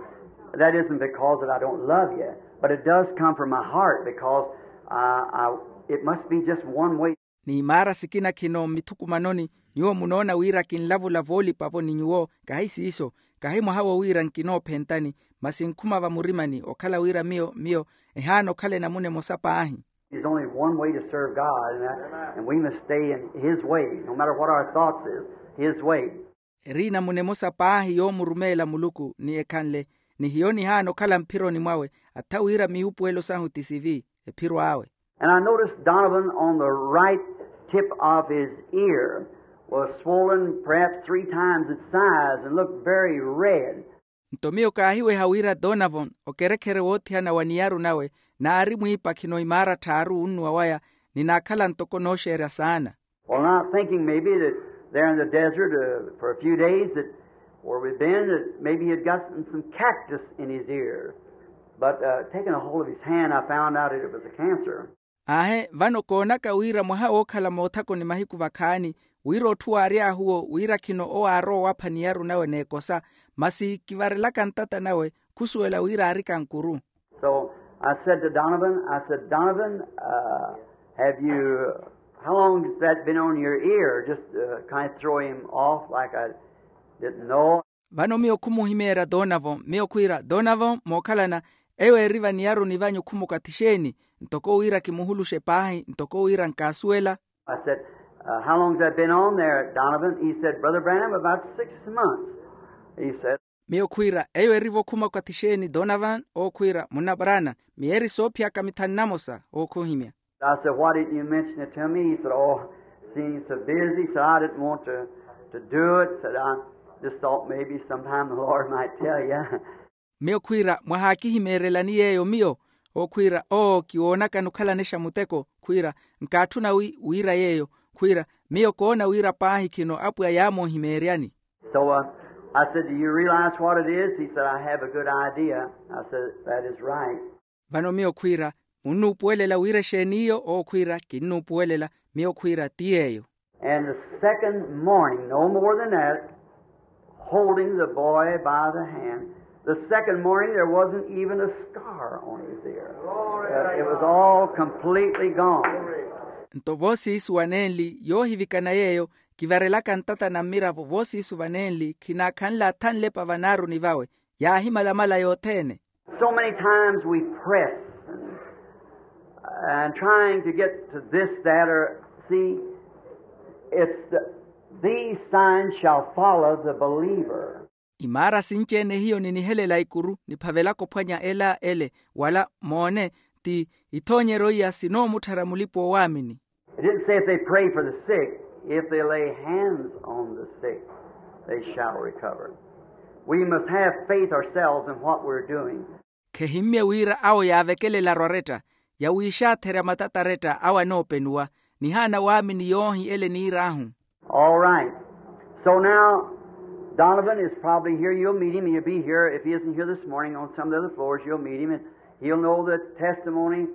that isn't because that i don't love you, but it does come from my heart because i, I it must be just one way. Ni imaara sikina khino mmithukumanoni, nyuwo munoona wira kinlavula voolipa-vo ni nyuwo. Kahi siiso, kahi mwaha-wo wira nkinoophentani, masi nkhuma vamurimani okhala wira miyo miyo ehaana okhala enamuna emosa paahi. There's only one way to serve god and, that, and we must stay in his way no matter what our thoughts is. His way. Eri enamuna emosa paahi yoomurumeela muluku ni ekhanle, ni hiyo nihaana okhala mphironi mwawe, atha wira miwupuwelo sahu ti sivi, ephiro awe. And i noticed donovan on the right tip of his ear was swollen perhaps three times its size and looked very red. Nto miyo kaahiweha wira donovan okerekhere woothihana wa niyaru nawe, naari mwiipakhino imaara tthaaru wunnuwa waya, ni naakhala ntoko nooxeerya saana. Well, not thinking maybe that There in the desert, uh, for a few days, that where we'd been, that maybe he had gotten some cactus in his ear. But, uh, taking a hold of his hand, I found out that it was a cancer. Aahe, vano koonaka wira mwaha wookhala moothakoni mahiku vakhaani, wira otthu waary'ahu owo wira khino owo aarowa owapha niyaru nawe n'ekosa, masi kivarelaka ntata nawe, khusuwela wira aari kankuru. So I said to Donovan, I said, "Donovan, uh, have you, how long has that been on your ear? Just, uh, kind of throw him off like I didn't know." Vano miyo khumuhimeerya Donovan, miyo khwiira, "Donovan, mookhalana, eyo eeri vaniyaruni vanyu khumukathi xeeni? Ntoko wira kimuhuluxe paahi, ntoko wira nkaasuwela." I said, "Uh, how long has that been on there, Donovan?" He said, "Brother Branham, about six months," he said. Miyo khwiira, "Eyo erivo khuma okathi xeeni, Donovan?" Owo khwiira, "Munna Branham, miyeeri soophiyaka mithanu na mosa." Owo khuhimya. I said, "Why didn't you mention it to me?" He said, "Oh, seeing so busy," he said, "I didn't want to, to do it," said, "I just thought maybe sometime the Lord might tell you." Miyo khwiira, "Mwahaakihimeerelani yeeyo miyo?" Owo khwiira, "Oo, kiwoonakani okhalanexa muteko." Khwiira, "Nkaatthuna wi-, wiira yeeyo." Khwiira, "Miyo koona wira paahi khino Apwiya yaamoohimeeryani." So, uh, I said, "Do you realize what it is?" He said, "I have a good idea." I said, "That is right." Vano miyo khwiira, "Munnuupuwelela wira exeeni iyo?" Owo khwiira, "Kinnuupuwelela." Miyo khwiira, "Ti yeeyo." And the second morning, no more than that, holding the boy by the hand, the second morning there wasn't even a scar on his ear. Uh, it was all completely gone. Nto voosiisu vanenli yoohivikana yeeyo, kivarelaka ntata na mmiravo voosiisu vanenli, khinaakhanle athanlepa vanaaruni vawe, yaahimalamala yothene. So many times we press and, and trying to get to this, that, or, see, it's the, "These signs shall follow the believer." Imaara sinci-ene hiyo ninihelela ikuru niphavelaka ophwanya ela ele, wala moone, ti ithoonyeryo iya sinoomutthara mulipa-oowaamini. It didn't say if they pray for the sick, if they lay hands on the sick, they shall recover. We must have faith ourselves in what we're doing. Khehimmye wira awo yaavekelelaru aretta, yawiixaatherya matata aretta awo anoopenuwa, nihaana waamini yoohi ele niir'ahu. All right. So now, Donovan is probably here. You'll meet him. He'll be here. If he isn't here this morning, on some of the other floors, you'll meet him, and he'll know the testimony.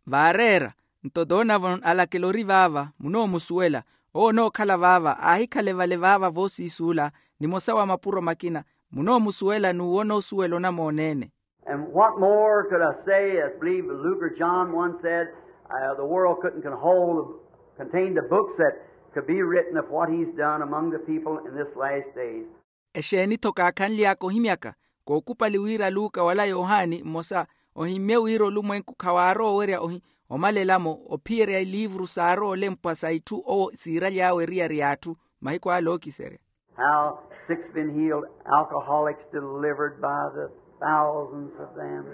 Vaareera, nto Donovan alakela ori vaava, munoomusuwela. Owo onookhala vaava, aahikhale vale vaava voosiisuula, nimosa wa mapuro makina, munoomusuwela n'uwona osuwela onamooneene. And what more could I say? I believe Luke or John once said, uh, the world couldn't con-, hold, contain the books that could be written of what he's done among the people in this last days. Exeeni-tho kaakhanly'aka ohimyaka? Kookupali wira Luka wala Yohani mmosa ohimmye wira olumwenku khawaarowa owerya ohi omalela-mo ophiyerya iliivuru saarowa olempwa sa itthu owo siiraly'awe eriyari y'atthu mahiku ale ookiserya. How sick's been healed, alcoholics delivered by the thousands of them,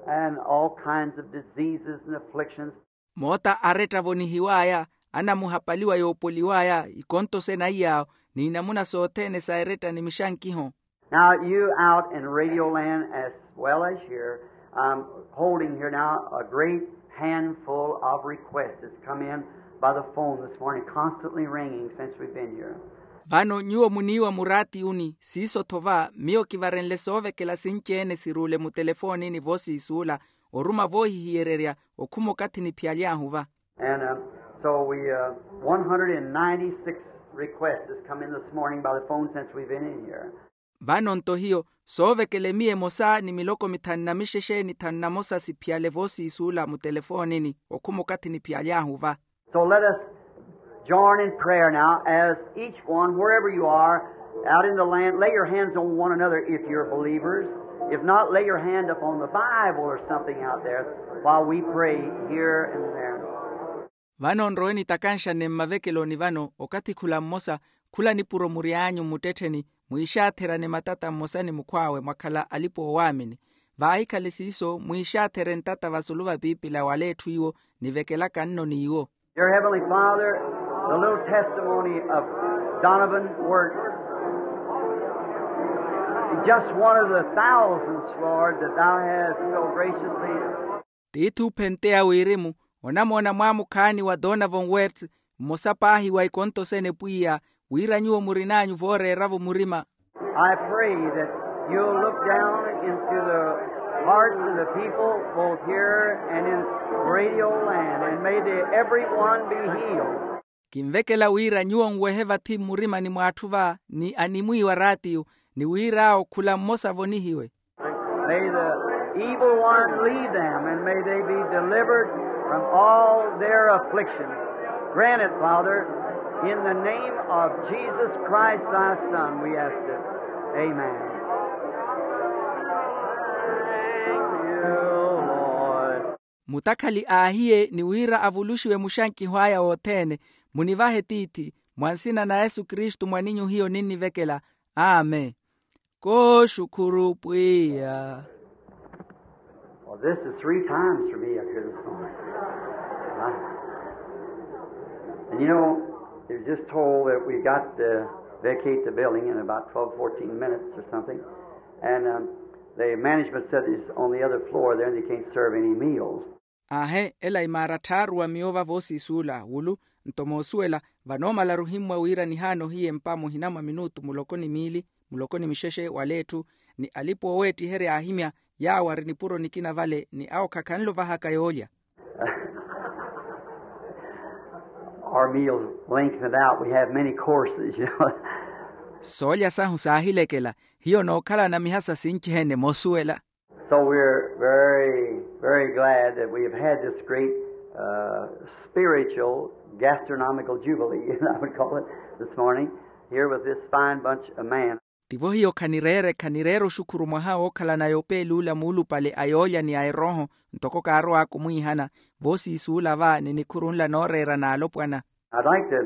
and all kinds of diseases and afflictions. Moota aretta avonihiw'aya, anamuhapaliwa yoopoliw'aya, ikonto sena iy'awo, n'inamuna sothene sa eretta ni mixankiho. Now, you out in radio land as well as here, I'm holding here now a great handful of requests that's come in by the phone this morning, constantly ringing since we've been here. Vano nyuwo muniiwa muraatiyuni, siiso-tho va miyo kivarenle soovekela sinci-ene siruule mutelefoonini voosiisuula, oruma voohihiyererya okhuma okathi niphiyaly'ahu va. And, uh, so we, uh, one hundred and ninety-six requests has come in this morning by the phone since we've been in here. Vano nto hiyo soovekele miya emosa ni miloko mithanu na mixexe ni thanu na mosa siphiyale voosiisuula mutelefoonini okhuma okathi niphiyaly'ahu va. So let us join in prayer now as each one, wherever you are, out in the land, lay your hands on one another if you're believers. If not, lay your hand upon the Bible or something out there while we pray here and there. Vano nrowe nitakanxane mmavekeloni vano okathi khula mmosa khula nipuro mury'anyu mmuttettheni mwiixaatherane matata mmosa ni mukhw'awe mwakhala alipa-oowaamini. Vaahikhale siiso mwiixaathere ntata vasulu va piipila wala etthu iwo nivekelaka nno n'iwo. Dear Heavenly Father, the little testimony of Donovan Wirtz, just one of the thousands, Lord, that thou hast so graciously. Tiithi ophenteya wirimu onamoona mwaamukhaani wa Donovan Wirtz, mmosa paahi wa ikonto sene pwiya wira nyuwo murin'anyu vooreera-vo murima. I pray that you'll look down into the hearts of the people, both here and in radio land, and may they every one be healed. Kinvekela wira nyuwo nwehe vathi mmurimani mw'atthu va ni animwiiwa raatiyo, ni wir'awo khula mmosa avonihiwe. May the evil one leave them, and may they be delivered from all their afflictions. Grant it, Father, in the name of Jesus Christ, thy Son, we ask it. Amen. Thank you, Lord. Mutakhali aahiye ni wira avuluxiwe muxankiho aya wothene. Munivahe tiithi, mwa nsina na yesu kristu mwaninyu hiyo ninnivekela. Amen. Kooxukhuru pwiya. Well, this is three times for me up here this morning. Huh? And you know, it was just told that we got to vacate the building in about twelve, fourteen minutes or something. And um, the management said it's on the other floor there and they can't serve any meals. Aahe, ela imaara tthaaruwa miyo va voosiisuula wulu. Nto moosuwela, vanoomala ruhimmwa wira nihaana ohiye mpa muhina mwa minutu muloko ni miili, muloko ni mixexe wala etthu, ni alipa ooweettiherya aahimya, yaawo ari nipuro nikina vale ni awo khakhanle ovahaka yoolya. Our meals lengthened out. We have many courses, you know. Soolya sahu saahilekela. Hiyo nookhalana mihasa sinci-ene moosuwela. So we're very, very glad that we have had this great uh, spiritual gastronomical jubilee, I would call it, this morning, here with this fine bunch of men. Tivo hiyo khanireere khanireere oxukhuru mwaha wookhalana yopeel'ula muulupale a yoolya ni a erooho. Ntoko kaarow'aka omwiihana voosiisuula va ni nikhuru nla nooreera n'alopwana. I'd like to,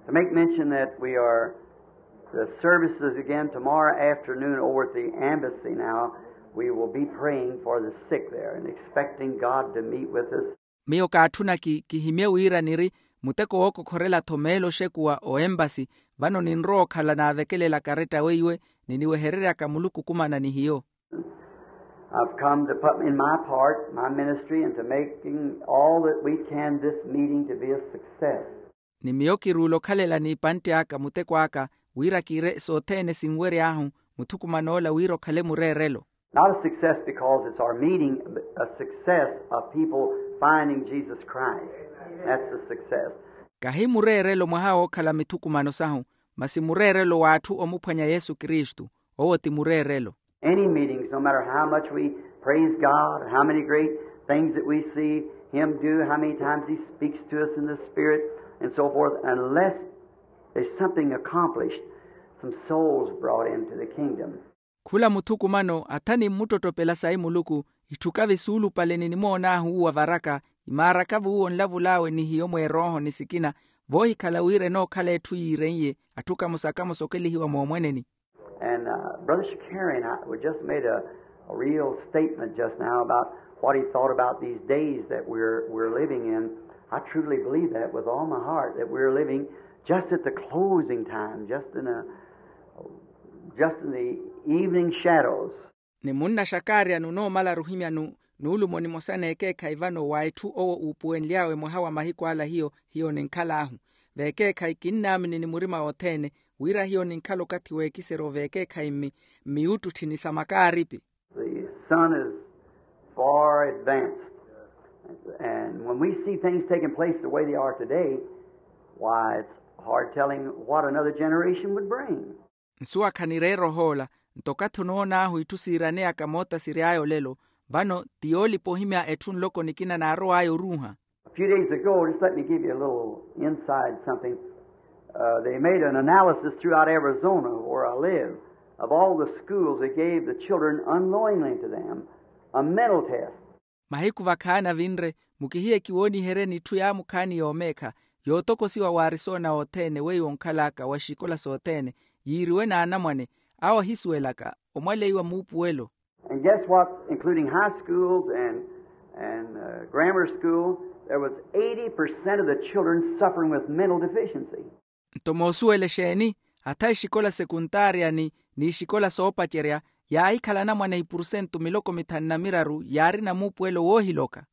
to make mention that we are the services again tomorrow afternoon over at the embassy now. We will be praying for the sick there and expecting God to meet with us. Miyo kaatthuna ki kihimye wira niri muteko wookokhorela-tho meelo oxekuwa o empasi. Vano ninrowa okhala naavekelela karetta weiwe ni niwehereryaka muluku okumana ni hiyo. I've come to put in my part, my ministry, and to making all that we can this meeting to be a success. Ni miyo kiruula okhalela n'ipantte aka muteko aka wira kiire sothene sinwery'ahu muthukuman'ola wira okhale mureerelo. Not a success because it's our meeting, but a success of people finding Jesus Christ. That's the success. Kahi mureerelo mwaha wookhala mithukumano sahu, masi mureerelo w'atthu omuphwanya yesu kristu. Owo ti mureerelo. Any meetings, no matter how much we praise God, how many great things that we see him do, how many times he speaks to us in the spirit, and so forth, unless there's something accomplished, some souls brought into the kingdom. Khula muthukumano atha ni mmuttottopela sayi muluku, itthu kavi suulupale ni nimoon'ahu uwa varaka, imaara kavi uwo onlavul'awe ni hiyo mweerooho ni sikina, voohikhala wira enookhala etthu yiireiye atthu kamosa kamosa okelihiwa moomweneni. And uh, Brother Shakarian, I, we just made a, a real statement just now about what he thought about these days that we're, we're living in. I truly believe that with all my heart, that we're living just at the closing time, just in a, just in the evening shadows. Ni munna xakaari anu onoomala ruhimya nu nuulumo nimosa n'ekeekhayi vano wa etthu owo uupuwenly'awe mwaha wa mahiku ala hiyo hiyo ninkhal'ahu. Veekeekhayi kinnaamini ni murima othene wira hiyo ninkhala okathi w'ekiseryo veekeekhayi mmi mmiyuttutthi ni sa makaaripi. The sun is far advanced. And when we see things taking place the way they are today, why, it's hard telling what another generation would bring. Nsuwa khanireera ohoola. Nto okathi onoon'ahu itthu siiraneyaka moota siry'aya olelo, vano ti yoolipa ohimya etthu nloko nikina naarow'aya oruuha. A few days ago, just let me give you a little inside something. Uh, they made an analysis throughout Arizona, where I live, of all the schools that gave the children unknowingly to them a mental test. Mahiku vakhaani avinre, mukihiye kiwooniheryeni itthu yaamukhaani yoomeekha yootokosiwa w'arisona othene weiwo onkhal'aka wa xikola sothene yiiriwe n'anamwane awo ahisuwelaka omwaleiwa muupuwelo. And guess what? Including high schools and, and uh, grammar school, there was eighty percent of the children suffering with mental deficiency. Nto moosuwela exeeni? Atha exikola sekuntaarya ni n'ixikola soopacerya yaahikhala anamwane ipurusentu miloko mithanu na miraru yaarina muupuwelo woohiloka.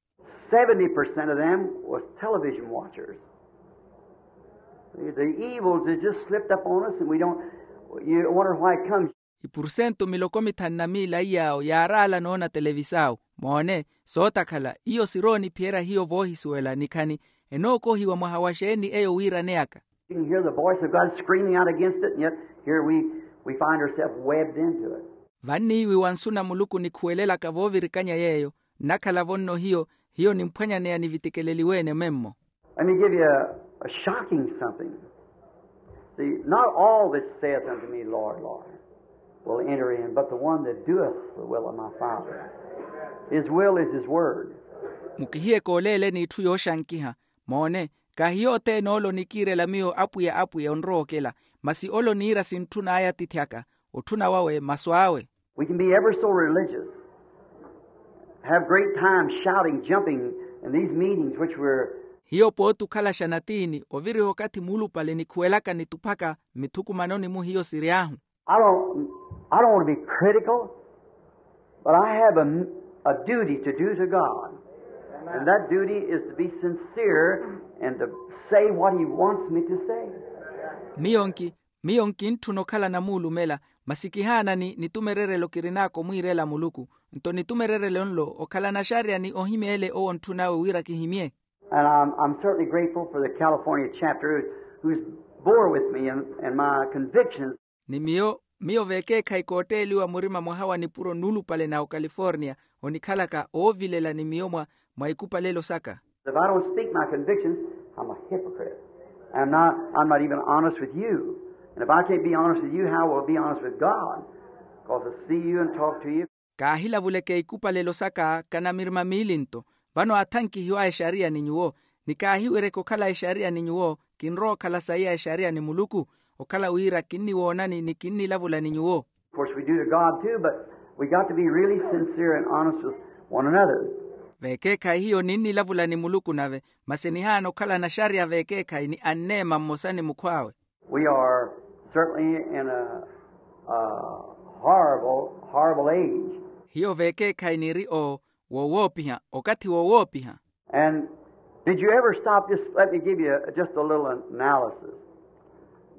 Seventy percent of them was television watchers. The evils has just slipped up on us, and we don't, you wonder why it comes. Ipursentu miloko mithanu na miila iyaawo yaaraala noona televisaawu. Moone, sootakhala iyo sirooniphiyerya hiyo voohisuwela nikhani enookohiwa mwaha wa xeeni eyo wiiraneyaka. You can hear the voice of God screaming out against it, and yet here we, we find ourselves webbed into it. Vanniiwi wa nsu na muluku nikhuwelelaka voovirikanya yeeyo. Nnakhala-vo nno hiyo hiyo nimphwanyaneya nivitikeleliwe-ene memmo. Let me give you a, a shocking something. See, not all that saith unto me, Lord, Lord, will enter in, but the one that doeth the will of my Father. His will is his word. Mukihiye kooleeleni itthu yooxankiha. Moone, kaahi yothene ole onikiirela miyo apwiya apwiya onrowa okela, masi ole oniira sintthun'aya atiithi aka. Otthuna wawe masu awe. We can be ever so religious, have great time shouting, jumping in these meetings which we're. Hiyo pooti okhalaxa natiini oviriha okathi muulupale nikhuwelaka nituphaka mmithukumanoni-mu hiyo siry'ahu. I don't, I don't want to be critical, but I have a, a duty to do to God. And that duty is to be sincere and to say what he wants me to say. Miyo nki miyo nkintthuna okhala namuulumela, masi kihaanani nitumererelo kirin'aka omwiirela muluku. Nto nitumererelo nlo okhala naxariya ni ohimya ele owo ontthun'awe wira kihimye. And I'm, I'm certainly grateful for the California chapter who's bore with me and, and my convictions. Ni miyo miyo veekeekhayi kootteeliwa murima mwaha wa nipuro nuulupale na ocalifornia, onikhalaka oovilela ni miyo mwa mwa ikupalelo saka. If I don't speak my convictions, I'm a hypocrite. I'm not, I'm not even honest with you. And if I can't be honest with you, how will I be honest with God? Because I see you and talk to you. Kaahilavuleke ikupalelo saka kanamirima miilinto. Vano aathankihiwa exariya ni nyuwo. Ni kaahiwereke okhala exariya ni nyuwo, kinrowa okhala sayi a exariya ni muluku. Okhala wira kinniwoonani ni kinnilavula ni nyuwo. Of course we do to God too, but we got to be really sincere and honest with one another. Veekeekhayi hiyo ninnilavula ni muluku nave, masi nihaana okhala naxariya veekeekhayi ni anneema mmosa ni mukhw'awe. We are certainly in a, a horrible, horrible age. Hiyo veekeekhayi niri o wowoopiha, okathi wowoopiha. And did you ever stop, just let me give you a, just a little analysis.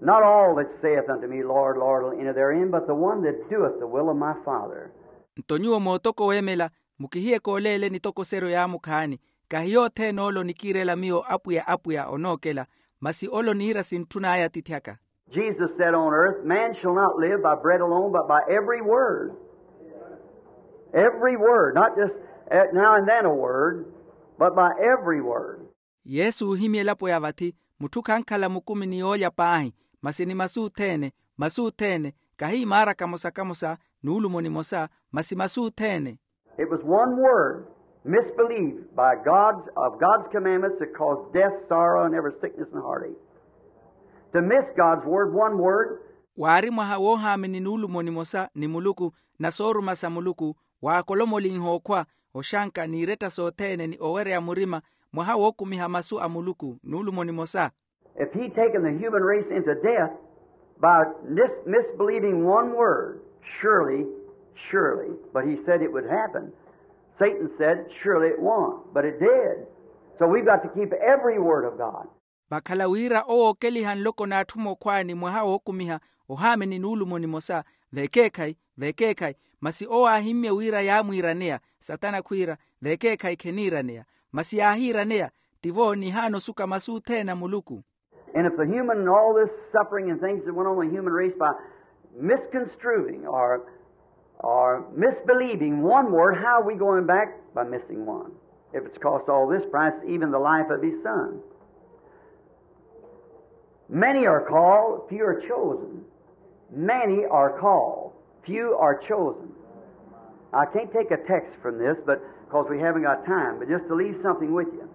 Not all that saith unto me, Lord, Lord, will enter therein, but the one that doeth the will of my Father. Nto nyuwo mootoko weemela, mukihiye kooleele nitokoseryo yaamukhaani. Kaahi yothene ole onikiirela miyo apwiya apwiya onookela, masi ole oniira sintthun'aya atiithi aka. Jesus said on earth, man shall not live by bread alone, but by every word. Every word, not just, eh, now and then a word, but by every word. Yesu oohimya elapo ya vathi, mutthu khankhala mukumi ni yoolya paahi, masi ni masu othene, masu othene, kahi imaara kamosa kamosa, nuulumo nimosa, masi masu othene. It was one word, misbelief by God's, of God's commandments that caused death, sorrow, and every sickness and heartache. To miss God's word, one word. Waari mwaha woohaamini nuulumo nimosa ni muluku, na sooruma sa muluku, waakolomolinha okhwa, oxanka n'iretta sothene ni owereya murima, mwaha wookumiha masu a muluku nuulumo nimosa. If he'd taken the human race into death by mis- misbelieving one word, surely, surely, but he said it would happen. Satan said, surely it won't, but it did. So we've got to keep every word of God. Vakhala wira owookeliha nloko n'atthu mookhwaani mwaha wookumiha ohaamini nuulumo nimosa, veekeekhayi, veekeekhayi, masi owo aahimmye wira yaamwiiraneya. Satana khwiira, veekeekhayi kheniiraneya, masi yaahiiraneya. Tivo nihaana osuka masu othene a muluku. And if the human, all this suffering and things that went on in the human race by misconstruing or, or misbelieving one word, how are we going back? By missing one. If it's cost all this price, even the life of his son. Many are called, few are chosen. Many are called, few are chosen. I can't take a text from this, but because we haven't got time, but just to leave something with you.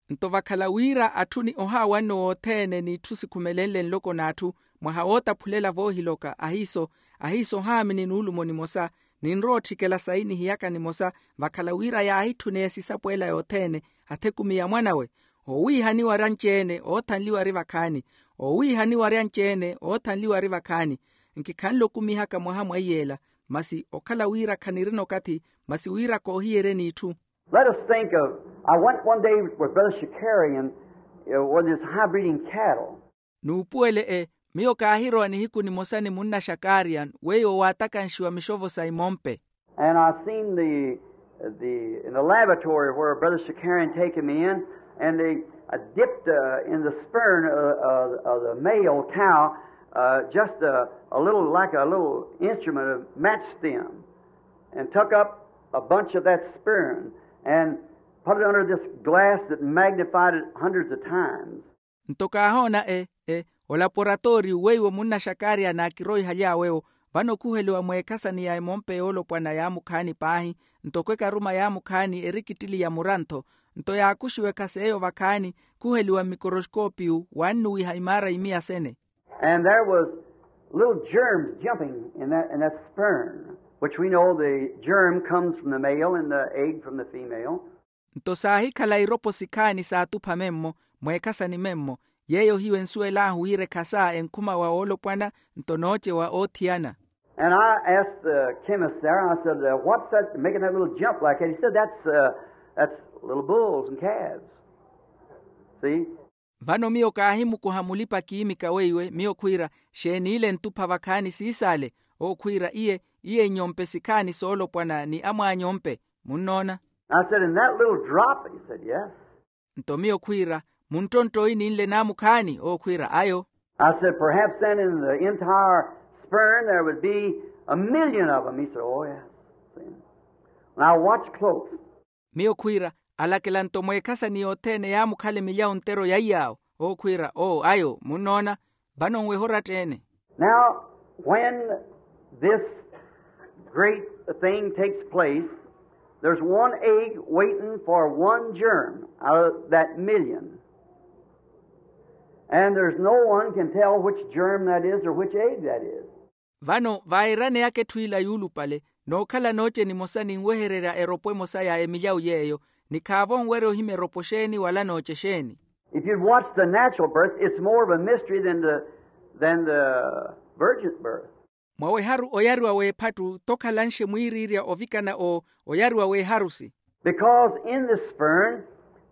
Nto vakhala wira atthu ni ohaawanno wothene n'itthu sikhumelenle nloko n'atthu, mwaha wootaphulela voohiloka ahiiso, ahiiso ohaamini nuulumo nimosa, ninrowa otthikela sayi nihiyaka nimosa, vakhala wira yaahitthuneye sisapo ela yothene, athe kumi ya mwanawe. Owiihaniwa ari anci-ene oothanliwa ari vakhaani. Owiihaniwa ari anci-ene oothanliwa ari vakhaani. Nkikhanle okumihaka mwaha mwaiy'ela, masi okhala wira khanirina okathi, masi wira koohiyeryeni itthu. Let us think of, I went one day with Brother Shakarian, uh, with his high breeding cattle. N'upuwele e, miyo kaahirowa nihiku nimosa ni munna xakaria weiwo waatakanxiwa mixovo sa imompe. And I seen the, the, in the laboratory where Brother Shakarian taken me in, and they uh, dipped uh, in the spurn of, of, of the male cow uh, just a, a little, like a little instrument of match stem, and took up a bunch of that spurn and put it under this glass that magnified it hundreds of times. Nto kaahoona e, e, olaporatooriyu weiwo munna xakaria naakiroihaly'awe-wo, vano khuheliwa mweekhasani ya emompe yoolopwana yaamukhaani paahi, nto khwekaruma yaamukhaani erikittili ya murantho. Nto yaakuxiwa ekhasa eyo vakhaani, khuheliwa mmikoroxkoopiyu wannuwiha imaara imiya sene. And there was little germs jumping in that, in that spurn, which we know the germ comes from the male and the egg from the female. Nto saahikhala iropo sikhaani saatupha memmo, mweekhasani memmo, yeeyo hiyo ensuwel'ahu wira ekhasa enkhuma wa woolopwana nto nooce wa oothiyana. And I asked the chemist there, I said, uh, what's that making that little jump like that? He said, that's, uh, that's little bulls and calves. See? Vano miyo kaahimukuha mulipa-kiimika weiwe miyo khwiira, xeeni ile ntupha vakhaani siisaale? Owo khwiira iye, iye inyompe sikhaani soolopwana ni amwaanyompe. Munnoona? I said, in that little drop? He said, yes. Nto miyo khwiira, munttontto oyi ninle naamukhaani? Owo khwiira ayo. I said, perhaps then in the entire sperm there would be a million of them. He said, oh yes. Now watch close. Miyo khwiira, alakela nto mweekhasani yothene yaamukhala emilyawu ntero ya iyaawo. Owo khwiira oo ayo munnoona. Vano nweha oratta-ene. Now when this great thing takes place, there's one egg waiting for one germ out of that million. And there's no one can tell which germ that is or which egg that is. Vano vaayirane aka etthu ila yuulupale, nookhala nooce nimosa ninwehererya eropo emosa ya emilyawu yeeyo, ni khaavo onwerya ohimya eropo xeeni wala nooce xeeni. If you'd watch the natural birth, it's more of a mystery than the, than the virgin birth. Mwa weharu oyariwa w'ephattu tokhalanxe mwiiriirya ovikana o oyariwa w'eharusi. Because in the sperm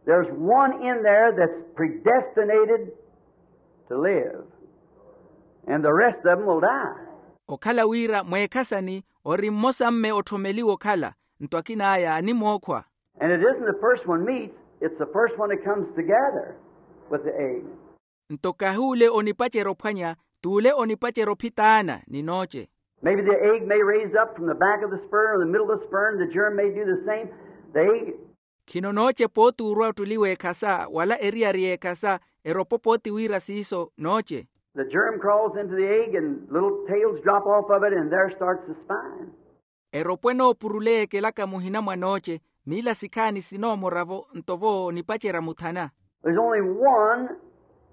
there's one in there that's predestinated to live, and the rest of them will die. Okhala wira mweekhasani ori mmosa mme otthomeliwa okhala, nto akin'aya animookhwa. And it isn't the first one meets, it's the first one that comes together with the egg. Nto kahi ole onipacerya ophwanya, t'ule onipacerya ophitaana ni nooce. Maybe the egg may raise up from the back of the sperm or the middle of the sperm, the germ may do the same. The egg. Khino nooce pooti orwa ottuli w'ekhasa wala eriyari y'ekhasa, eropo pooti wira siiso nooce. The germ crawls into the egg and little tails drop off of it and there starts the spine. Eropo enoopuruleya ekelaka muhina mwa nooce, miila sikhaani sinoomora-vo nto vo onipacerya muthana. There's only one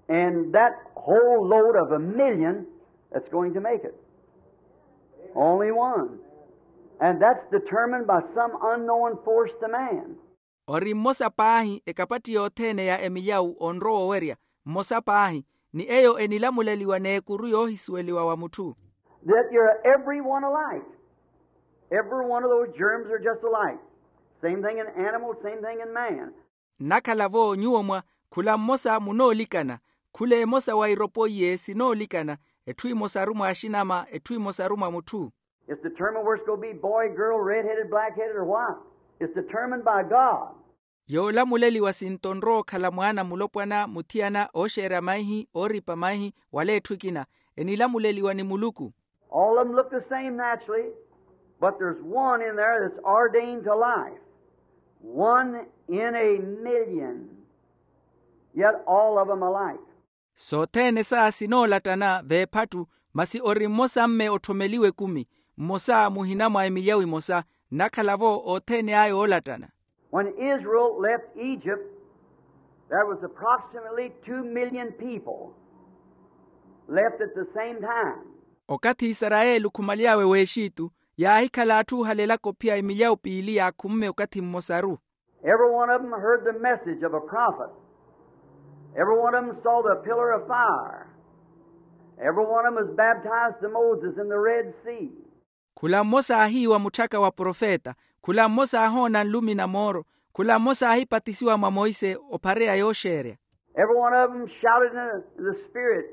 in that whole load of a million that's going to make it. Only one. And that's determined by some unknown force to man. Ori mmosa paahi ekapatti yothene ya emilyawu onrowa owerya, mmosa paahi, ni eyo enilamuleliwa n'ekuru yoohisuweliwa wa mutthu. That you're every one alike. Every one of those germs are just alike. Same thing in animals, same thing in man. Nnakhala-vo nyuwo mwa khula mmosa munoolikana, khula emosa wa iropo iye sinoolikana, etthu emosaru mwa axinama, etthu emosaru mwa mutthu. It's determined where it's going to be, boy, girl, red-headed, black-headed, or what. It's determined by God. Yoolamuleliwa sinto onrowa okhala mwaana mulopwana muthiyana ooxeerya maihi ooripa maihi wala etthu ekina, enilamuleliwa ni muluku. All of them look the same naturally, but there's one in there that's ordained to life. One in a million, yet all of them alike. Sothene sa sinoolattana v'ephattu, masi ori mmosa mme otthomeliwa ekumi, mmosa muhina mwa emilyawu emosa, nnakhala-vo othene aya oolattana. When Israel left Egypt, there was approximately two million people left at the same time. Okathi isarayeli okhumaly'awe w'exitu, yaahikhala atthu oohalelaka ophiya emilyawu piili ya khumme okathi mmosaru. Every one of them heard the message of a prophet. Every one of them saw the pillar of fire. Every one of them was baptized to Moses in the Red Sea. Khula mmosa aahiiwa mutthaka wa profeta, khula mmosa aahoona nlumi na mooro, khula mmosa aahipatisiwa mwa monse ophareya yooxeerya. Every one of them shouted in the, in the Spirit,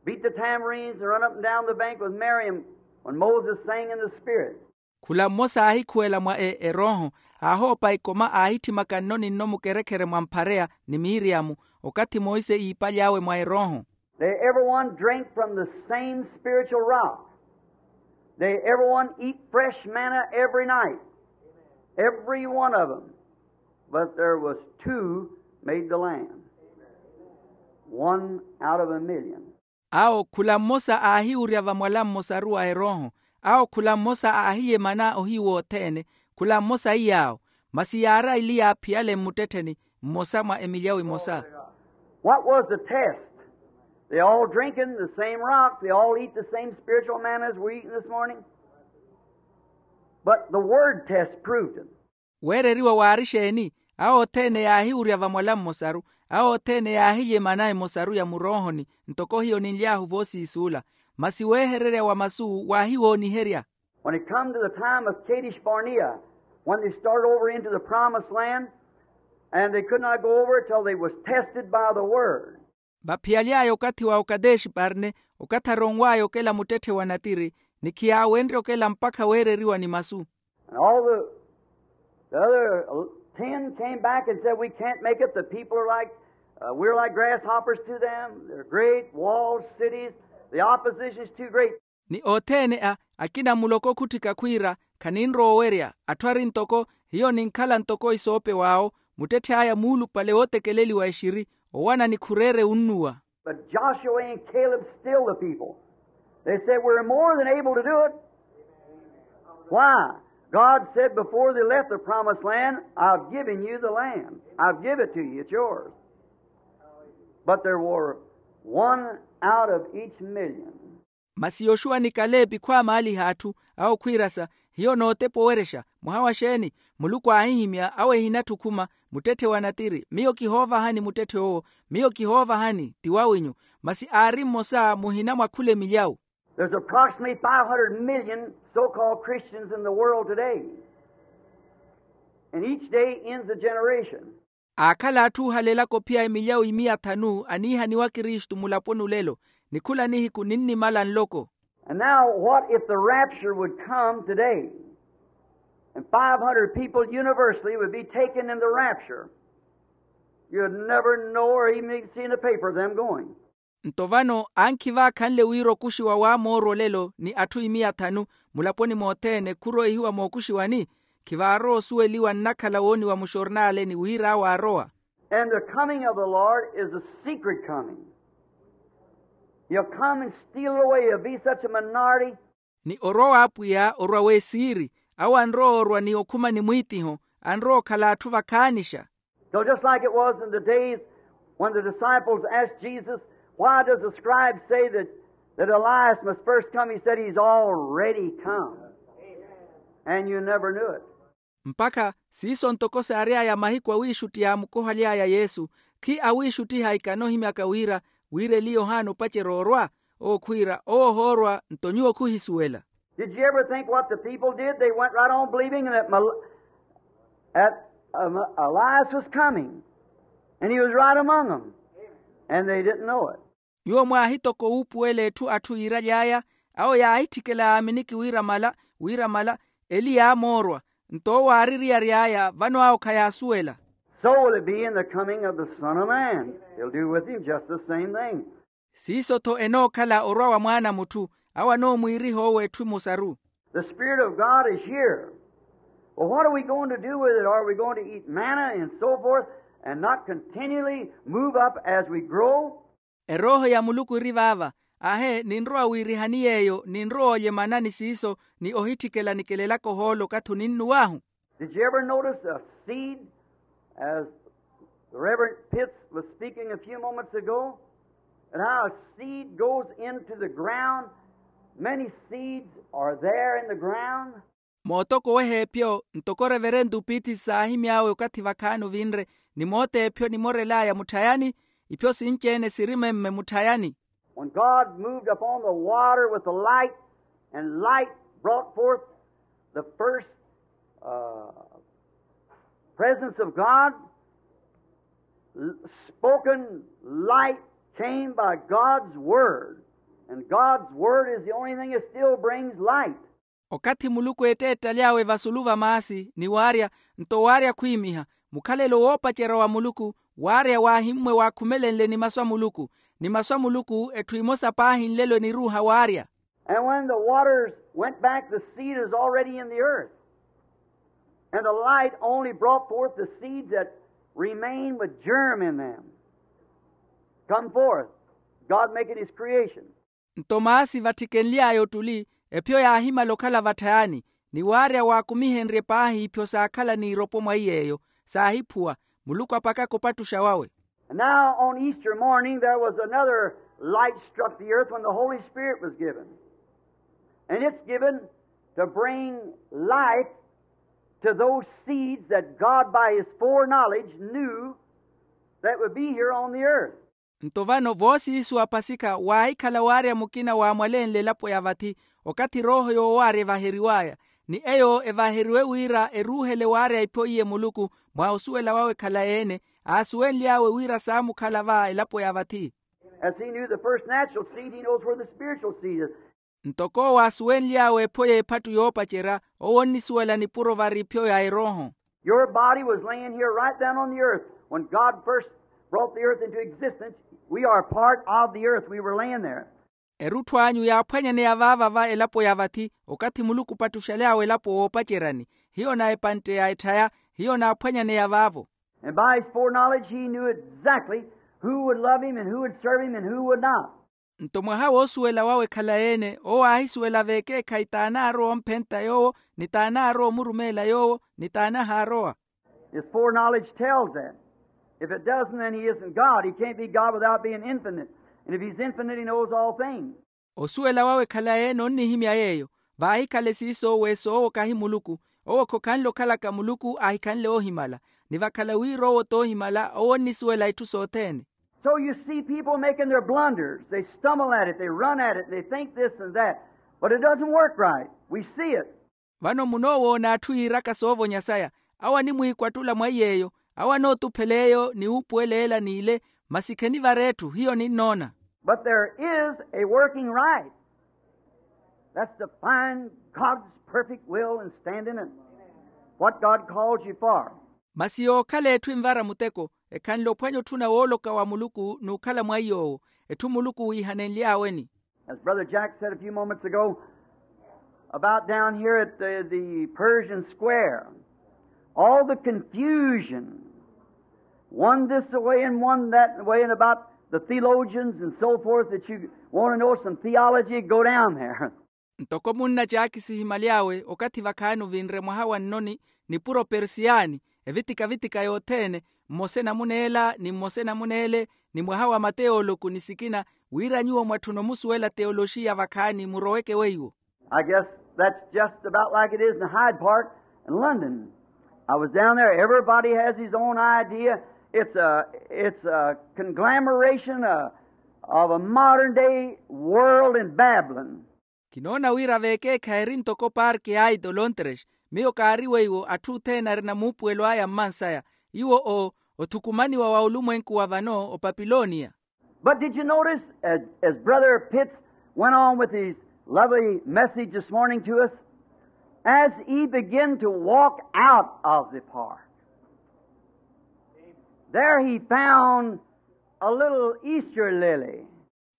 Beat the tambourines and run up and down the bank with Miriam when Moses sang in the Spirit. Khula mmosa aahikhuwela mwa erooho, aahoopa ikoma aahitthimaka nno ni nno mukerekhere mwa mphareya ni miriamu, okathi monse iipaly'awe mwa erooho. They everyone drink from the same spiritual rock. They everyone eat fresh manna every night. Every one of them. But there was two made the land. One out of a million. Awo khula mmosa aahiwurya vamwala mmosaru wa erooho. Awo khula mmosa aahiyemana ohiyu wothene. Khula mmosa iy'awo. Masi yaari aili yaaphiyale mmuttettheni, mmosa mwa emilyawu emosa. What was the test? They all drinking the same rock, they all eat the same spiritual manna as we're eating this morning. But the word test proved it. Weereriwa waari exeeni? Awo othene yaahiwurya vamwala mmosaru. Awo othene yaahiyemana emosaru ya muroohoni, ntoko hiyo ninly'ahu voosiisuula. Masi weehererya wa masu waahiwooniherya. When it come to the time of Kadesh Barnea, when they started over into the promised land, and they could not go over till they was tested by the word. Vaphiyaly'aya okathi wa okadeshi parne, okathi aronw'aya okela muttetthe wa natiri, ni khiyaawenrye okela mpakha weereriwa ni masu. And all the, the other ten came back and said, we can't make it. The people are like, uh, we're like grasshoppers to them. They're great walled cities. The opposition's too great. Ni othene a akina muloko okhutthika khwiira, khaninrowa owerya. Atthu ari ntoko, hiyo ninkhala ntoko isoopew'awo. Muttetthe'aya muulupale wootekeleliwa exiri, owana ni khureere unnuwa. But Joshua and Caleb stilled the people. They said, we're more than able to do it. Why? God said before they left the promised land, I've given you the land. I've given it to you. It's yours. But there were one out of each million. Masi yoxuwa ni kaleepi khwaamaaliha atthu, awo khwiirasa, hiyo nootepa owerexa. Mwaha wa xeeni? Muluku aahihimya, awo ehinatthi okhuma, muttetthe wa natiri, miyo kihoovahani muttetthe owo. Miyo kihoovahani, ti wawinyu. Masi aari mmosa muhina mwa khula emilyawu. There's approximately five hundred million so-called Christians in the world today. And each day ends a generation. Aakhala atthu oohalelaka ophiya emilyawu imiya thanu aniihaniwa kristu mulaponi olelo. Ni khula nihiku ninnimala nloko. And now what if the rapture would come today? And five hundred people universally would be taken in the rapture. You'd never know or even see in the paper them going. Nto vano ankhi vaakhanle wira okuxiwa waamoorwa olelo ni atthu imiya thanu, mulaponi mothene khuroihiwa mookuxiwani. Khivaarowa osuweliwa nnakhala wooniwa muxornaleni wira awo aarowa. And the coming of the Lord is a secret coming. He'll come and steal it away. He'll be such a minority. Ni orwa w'apwiya orwa w'esiiri. Awo anrowa orwa ni okhuma ni mwiitiho. Anrowa okhala atthu vakhaanixa. So just like it was in the days when the disciples asked Jesus, why does the scribes say that, that Elias must first come? He said, he's already come. And you never knew it. Mpakha siiso ntoko saary'aya mahiku awiixutti yaamukohaly'aya yesu. Khi awiixuttiha ikano ohimyaka wira, wira eli yohana opacerya orwa. Owo khwiira owo ohoorwa nto nyuwo khuhisuwela. Did you ever think what the people did? They went right on believing that, Mel- that um, Elias was coming. And he was right among them. And they didn't know it. Nyuwo mwaahitoka owuupuwela etthu atthu yiiraly'aya. Awo yaahitthikela yaaminiki wira mala, wira mala eli yaamoorwa. Nto owo aaririyary'aya vano awo khayaasuwela. So will it be in the coming of the Son of Man. He'll do with him just the same thing. Siiso-tho enookhala orwa wa mwaana a mutthu. Awo anoomwiiriha owo etthu emosaru. The Spirit of God is here. Well, what are we going to do with it? Are we going to eat manna and so forth and not continually move up as we grow? Erooho ya muluku eri vaava. Ahe ninrowa wiirihani yeeyo ninrowa olyemana ni siiso ni ohitthikela nikelelaka ohoolo okathi oninnuw'ahu? Did you ever notice a seed, as the Reverend Pitts was speaking a few moments ago, and how a seed goes into the ground? Many seeds are there in the ground. Mootokoweha epyo ntoko reverento pitti saahimy'awe okathi vakhaani ovinre, ni moota epyo nimorel'aya mutthayani. Ipyo sinci-ene siri memme mutthayani. When God moved upon the water with the light, and light brought forth the first uh, presence of God, spoken light came by God's word. And God's word is the only thing that still brings light. Okathi muluku eetteettalyawe vasulu va maasi ni waarya, nto waarya khwiimiha, mukhalelo woopacerya wa muluku waarya waahimmwe waakhumelenle ni masu a muluku. Ni masu a muluku etthu emosa paahi nlelo eniruuha waarya. And when the waters went back, the seed is already in the earth. And the light only brought forth the seeds that remain with germ in them. Come forth, God making his creation. Nto maasi vatthikenly'aya ottuli, ephyo yaahimala okhala vatthayani, ni waarya waakumihenrye paahi iphyo saakhala n'iropo mwa iy'eyo, saahiphuwa, muluku apakaka opattuxa wawe. And now on Easter morning there was another light struck the earth when the Holy Spirit was given. And it's given to bring life to those seeds that God by his foreknowledge knew that would be here on the earth. Nto vano voosiisu wa pasikha waahikhala waarya mukina waamwalenle elapo ya vathi, okathi erooho yoowaarya evaheriw'aya, ni eyo evaheriwe wira eruuhele waarya iphyo iye muluku, mwa osuwela wawe khalayi-ene, aasuwenly'awe wira saamukhala va elapo ya vathi. As he knew the first natural seed, he knows where the spiritual seed is. Ntoko owo aasuwenly'awe epho y'ephattu yoopacerya, owo onnisuwela nipuro vari iphyo ya erooho. Your body was laying here right down on the earth. When God first brought the earth into existence, we are part of the earth. We were laying there. Erutthu anyu yaaphwanyaneya vaava va elapo ya vathi, okathi muluku opattuxaly'awe elapo woopaceryani. Hiyo na epantte ya etthaya, hiyo naaphwanyaneya vaavo. And by his foreknowledge he knew exactly who would love him and who would serve him and who would not. Nto mwaha woosuwela wawe khalayi-ene, owo aahisuwela veekeekhayi t'anaarowa omphenta yoowo, ni t'anaarowa omurumeela yoowo, ni t'anahaarowa. His foreknowledge tells that. If it doesn't, then he isn't God. He can't be God without being infinite. And if he's infinite, he knows all things. Osuwela wawe khalayi-ene onnihimya yeeyo. Vaahikhale siiso weso owo kahi muluku. Owo khokhanle okhalaka muluku, aahikhanle oohimala. Ni vakhala wira owo t'oohimala, owo onnisuwela itthu sothene. So you see people making their blunders. They stumble at it, they run at it, they think this and that. But it doesn't work right. We see it. Vano munoowoona atthu yiiraka soovonya saya. Awo animwiikwattula mwa iy'eyo, awo anootuphela eyo ni wuupuwela ela n'ile, masi khenivara etthu, hiyo ninnoona. But there is a working right. That's to find God's perfect will and stand in it. What God calls you for. Masi yookhala etthu envara muteko, ekhanle ophwanya otthuna wooloka wa muluku n'ukhala mwa iy'owo, etthu muluku wiihanenly'aweni. As Brother Jack said a few moments ago, about down here at the, the Persian Square, all the confusion, one this way and one that way, and about the theologians and so forth, that you want to know some theology, go down there. Ntoko munna jaakisi ehimyaly'awe okathi vakhaani ovinre mwaha wa nnoni, nipuro persiyani, evitika-vitika yothene, mmosa enamuna ela ni mmosa enamuna ele, ni mwaha wa mateoloku ni sikina, wira nyuwo mwatthuna omusuwela teoloxiya vakhaani muroweke weiwo. I guess that's just about like it is in Hyde Park in London. I was down there. Everybody has his own idea. It's a, it's a conglomeration of, of a modern day world in Babylon. Kinoona wira veekeekhayi eri ntoko parki ya Hyde olontres. Miyo kaari weiwo atthu othene arina muupuwelo aya mmansaya. Iwo o othukumaniwa wa olumwenku wa vano opapiloniya. But did you notice, as, as Brother Pitts went on with his lovely message this morning to us, as he began to walk out of the park, there he found a little Easter lily.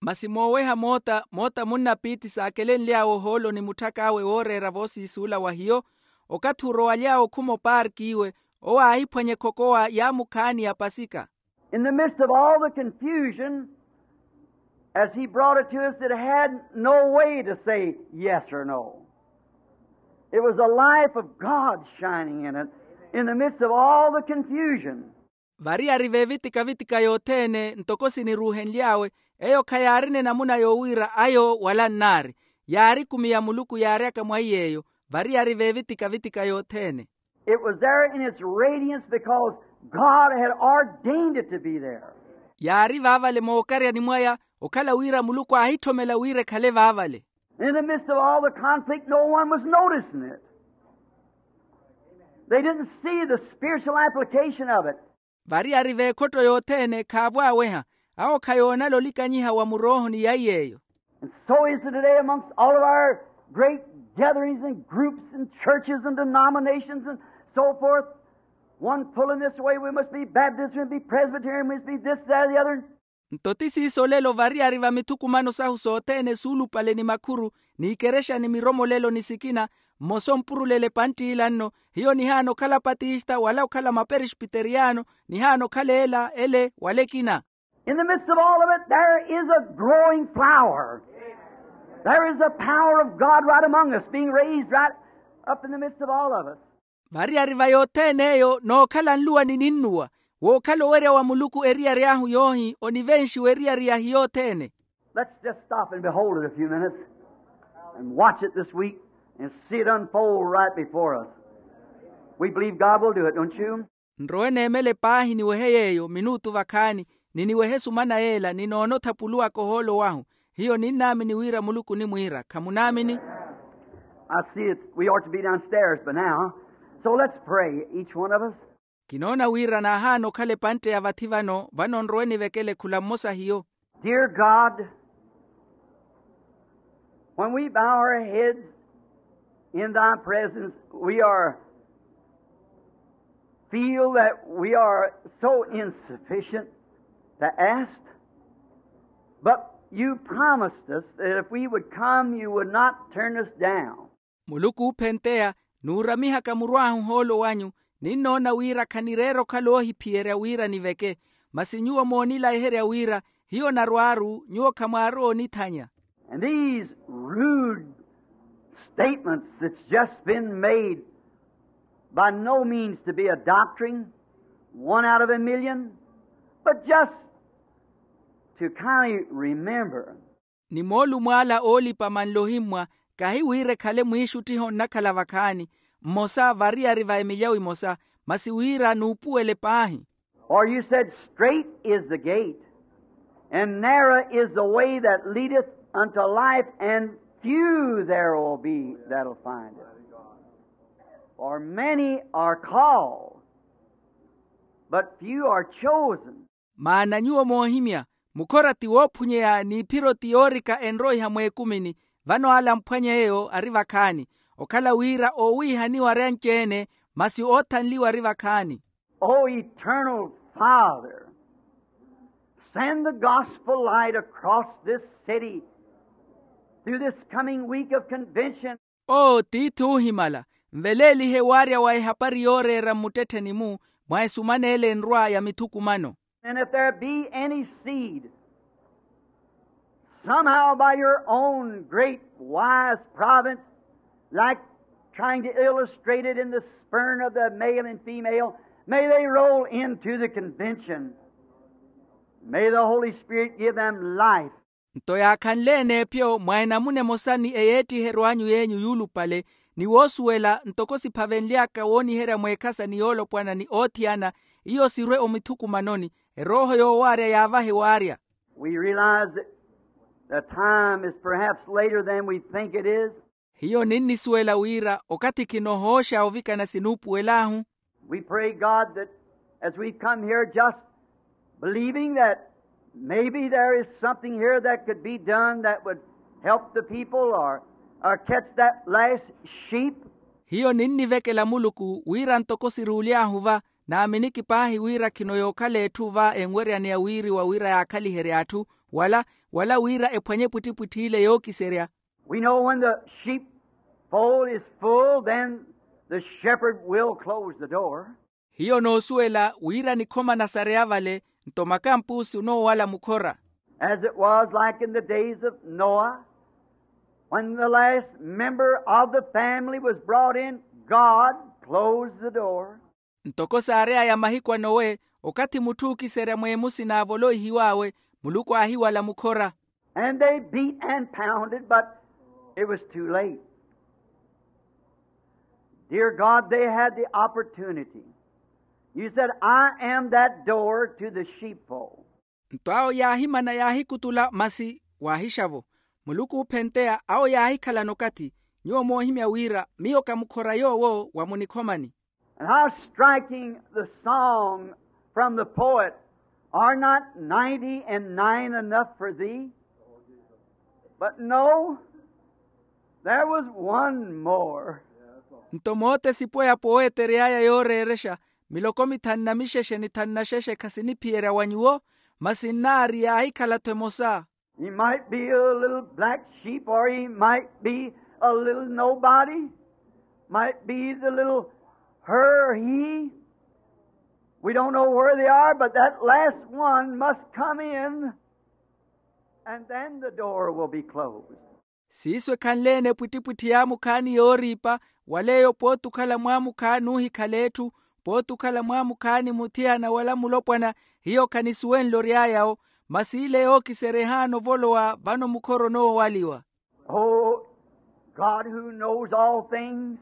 Masi mooweha moota moota munna piitti saakelenly'awe ohoolo ni mutthak'awe wooreera voosiisuula wa hiyo, okathi orowaly'awe okhuma opaarkiiwe, owo aahiphwanya ekhokowa ya mukhaani ya pasika. In the midst of all the confusion, as he brought it to us, it had no way to say yes or no. It was the life of God shining in it in the midst of all the confusion. Vari ari veevitika-vitika yothene ntoko siniruuhenly'awe, eyo khayaarina enamuna yowira ayo wala nnaari. Yaari ekumi ya muluku yaaryaka mwa iy'eyo. Vari ari veevitika-vitika yothene. It was there in its radiance because God had ordained it to be there. Yaari vaavale mookaryani mwaya, okhala wira muluku aahitthomela wira ekhale vaavale. In the midst of all the conflict, no one was noticing it. They didn't see the spiritual application of it. Vari ari veekhotto yothene khaavwaaweha. Awo khayoonala olikanyiha wa muroohoni ya iy'eyo. And so is it today amongst all of our great gatherings and groups and churches and denominations and so forth. One pulling this way, we must be Baptist, we must be Presbyterian, we must be this, that, or the other. Nto ti siiso olelo variyari va mithukumano sahu sothene suulupale ni makhuru, n'ikerexa ni miromolelo ni sikina, mmosa ompurulele epantt'ila nno, hiyo nihaana okhala apatista wala okhala maperespiteriyano, nihaana okhala ela ele wala ekina. In the midst of all of it there is a growing flower. There is a power of God right among us being raised right up in the midst of all of us. Variyari va yothene eyo nookhala nluwa ni ninnuwa, wookhala owerya wa muluku eriyari ahu yoohi onivenxiwa eriyari yahi yothene. Let's just stop and behold it a few minutes and watch it this week and see it unfold right before us. We believe God will do it, don't you? Nrowe neemele paahi niwehe yeeyo minuutu vakhaani, ni niwehe sumana yeela ni noonotha puluwaka ohoolo wahu. Hiyo ninnaamini wira muluku onimwiira khamunaamini? I see it, we ought to be downstairs by now. So let's pray, each one of us. Kinoona wira naahaana okhala epantte ya vathi vano vano nrowe nivekele khula mmosa hiyo. Dear God, when we bow our heads in thy presence, we are feel that we are so insufficient to ask, but you promised us that if we would come, you would not turn us down. Muluku oophenteya, nuuramihaka muru ahu ohoolo wanyu, ninnoona wira khanireera okhala oohiphiyerya wira niveke. Masi nyuwo moonilayiherya wira hiyo narwaaru nyuwo khamwaarowa onithanya. And these rude statements that's just been made, by no means to be a doctrine, one out of a million, but just to kind of remember. Ni moolumo ala oolipa manlo ohimmwa, kahi wira ekhale mwiixuttiho onnakhala vakhaani, mmosa variyari va emilyawo emosa, masi wira nuupuwele paahi. For you said, straight is the gate, and narrow is the way that leadeth unto life, and few there will be that'll find it. For many are called, but few are chosen. Maana nyuwo moohimya, mukhora ti woophunyeya n'iphiro ti yoorika enroiha mweekumini. Vano ala amphwanya eyo ari vakhaani, okhala wira oowiihaniwa ari anci-ene, masi oothanliwa ari vakhaani. O eternal Father, send the gospel light across this city through this coming week of convention. Oo tiithi oohimala, nveleelihe waarya wa ehapari yooreera mmuttettheni-mu mwa esumana ele enrwa ya mithukumano. And if there be any seed, somehow by your own great wise providence, like trying to illustrate it in the spurn of the male and female, may they roll into the convention. May the Holy Spirit give them life. Nto yaakhanle-ene epyo mwa enamuna emosa ni eyeettiheryo anyu yeenyu yuulupale, ni woosuwela ntoko siphavenly'aka wooniherya mweekhasa ni yoolopwana ni oothiyana, iyo sirwe omithukumanoni, erooho yoowaarya yaavahe waarya. We realize that the time is perhaps later than we think it is. Hiyo ninnisuwela wira okathi khinohooxa ovikana sinuupuwel'ahu. We pray, God, that as we come here, just believing that maybe there is something here that could be done that would help the people or, or catch that last sheep. Hiyo ninnivekela muluku wira ntoko siruuly'ahu va, naaminiki paahi wira khino yookhala etthu va enweryaneya wiiriwa wira yaakhaliherye atthu, wala wala wira ephwanye epwittipwitthi ile yookiserya. We know when the sheepfold is full, then the shepherd will close the door. Hiyo noosuwela wira nikhoma nasareya vale, nto makampusi onoowala mukhora. As it was like in the days of Noah, when the last member of the family was brought in, God closed the door. Ntoko saareyaya mahiku a nowe, okathi mutthu ookiserya mweemusi naavoloihiw'awe, muluku aahiwala mukhora. And they beat and pounded, but it was too late. Dear God, they had the opportunity. You said, I am that door to the sheepfold. Nto awo yaahimana yaahikutula masi waahixa-vo. Muluku oophenteya awo yaahikhalana okathi. Nyuwo moohimya wira miyo ka mukhora yoowo wa munikhomani. And how striking the song from the poet, are not ninety and nine enough for thee? But no, there was one more. Nto mootesipo yapo owetery'aya yooreerexa miloko mithanu na mixexe ni thanu na xexe khasiniphiyerya wa nyuwo. Masi nnaari yaahikhala-tho emosa. He might be a little black sheep, or he might be a little nobody. Might be the little her or he. We don't know where they are, but that last one must come in, and then the door will be closed. Siiso ekhanle-ene epwittipwitthi yaamukhaani yooriipa, wala eyo pooti okhala mwaamukhaani oohikhala etthu, pooti okhala mwaamukhaani muthiyana wala mulopwana. Hiyo khanisuwenle ory'aya-wo. Masi ile yookiserya ehaana ovolowa vano mukhoro onoowaliwa. Oh, God, who knows all things,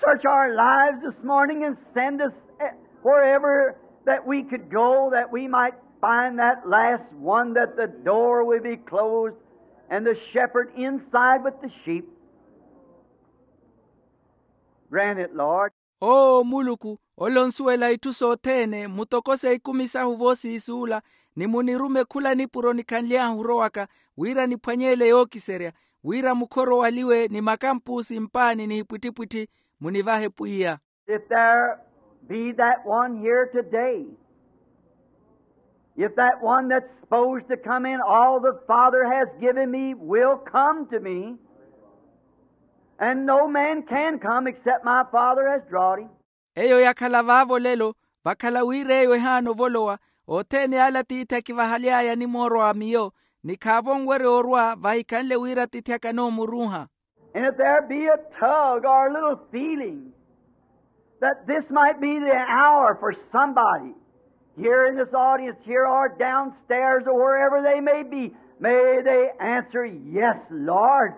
search our lives this morning and send us, eh, wherever that we could go, that we might find that last one, that the door will be closed and the shepherd inside with the sheep. Grant it, Lord. Oo muluku, ole onsuwela itthu sothene, mutokose ikumi sahu voosiisuula, ni munirume khula nipuro nikhanly'ahu orowaka, wira niphwanye ele yookiserya, wira mukhorowaliwe ni makampuusi mpaani nihipwittipwitthi. Munivahe pwiya. If there be that one here today, if that one that's supposed to come in, all the Father has given me will come to me, and no man can come except my Father has drawn him. Eyo yakhala vaavo lelo, vakhala wira eyo ehaana ovolowa, othene ale atiithi akivahaly'aya animoorwa miyo, ni khaavo onwerya orwa vahikhanle wira atiithi akanoomurunha. And if there be a tug or a little feeling that this might be the hour for somebody here in this audience here or downstairs or wherever they may be, may they answer, "Yes, Lord."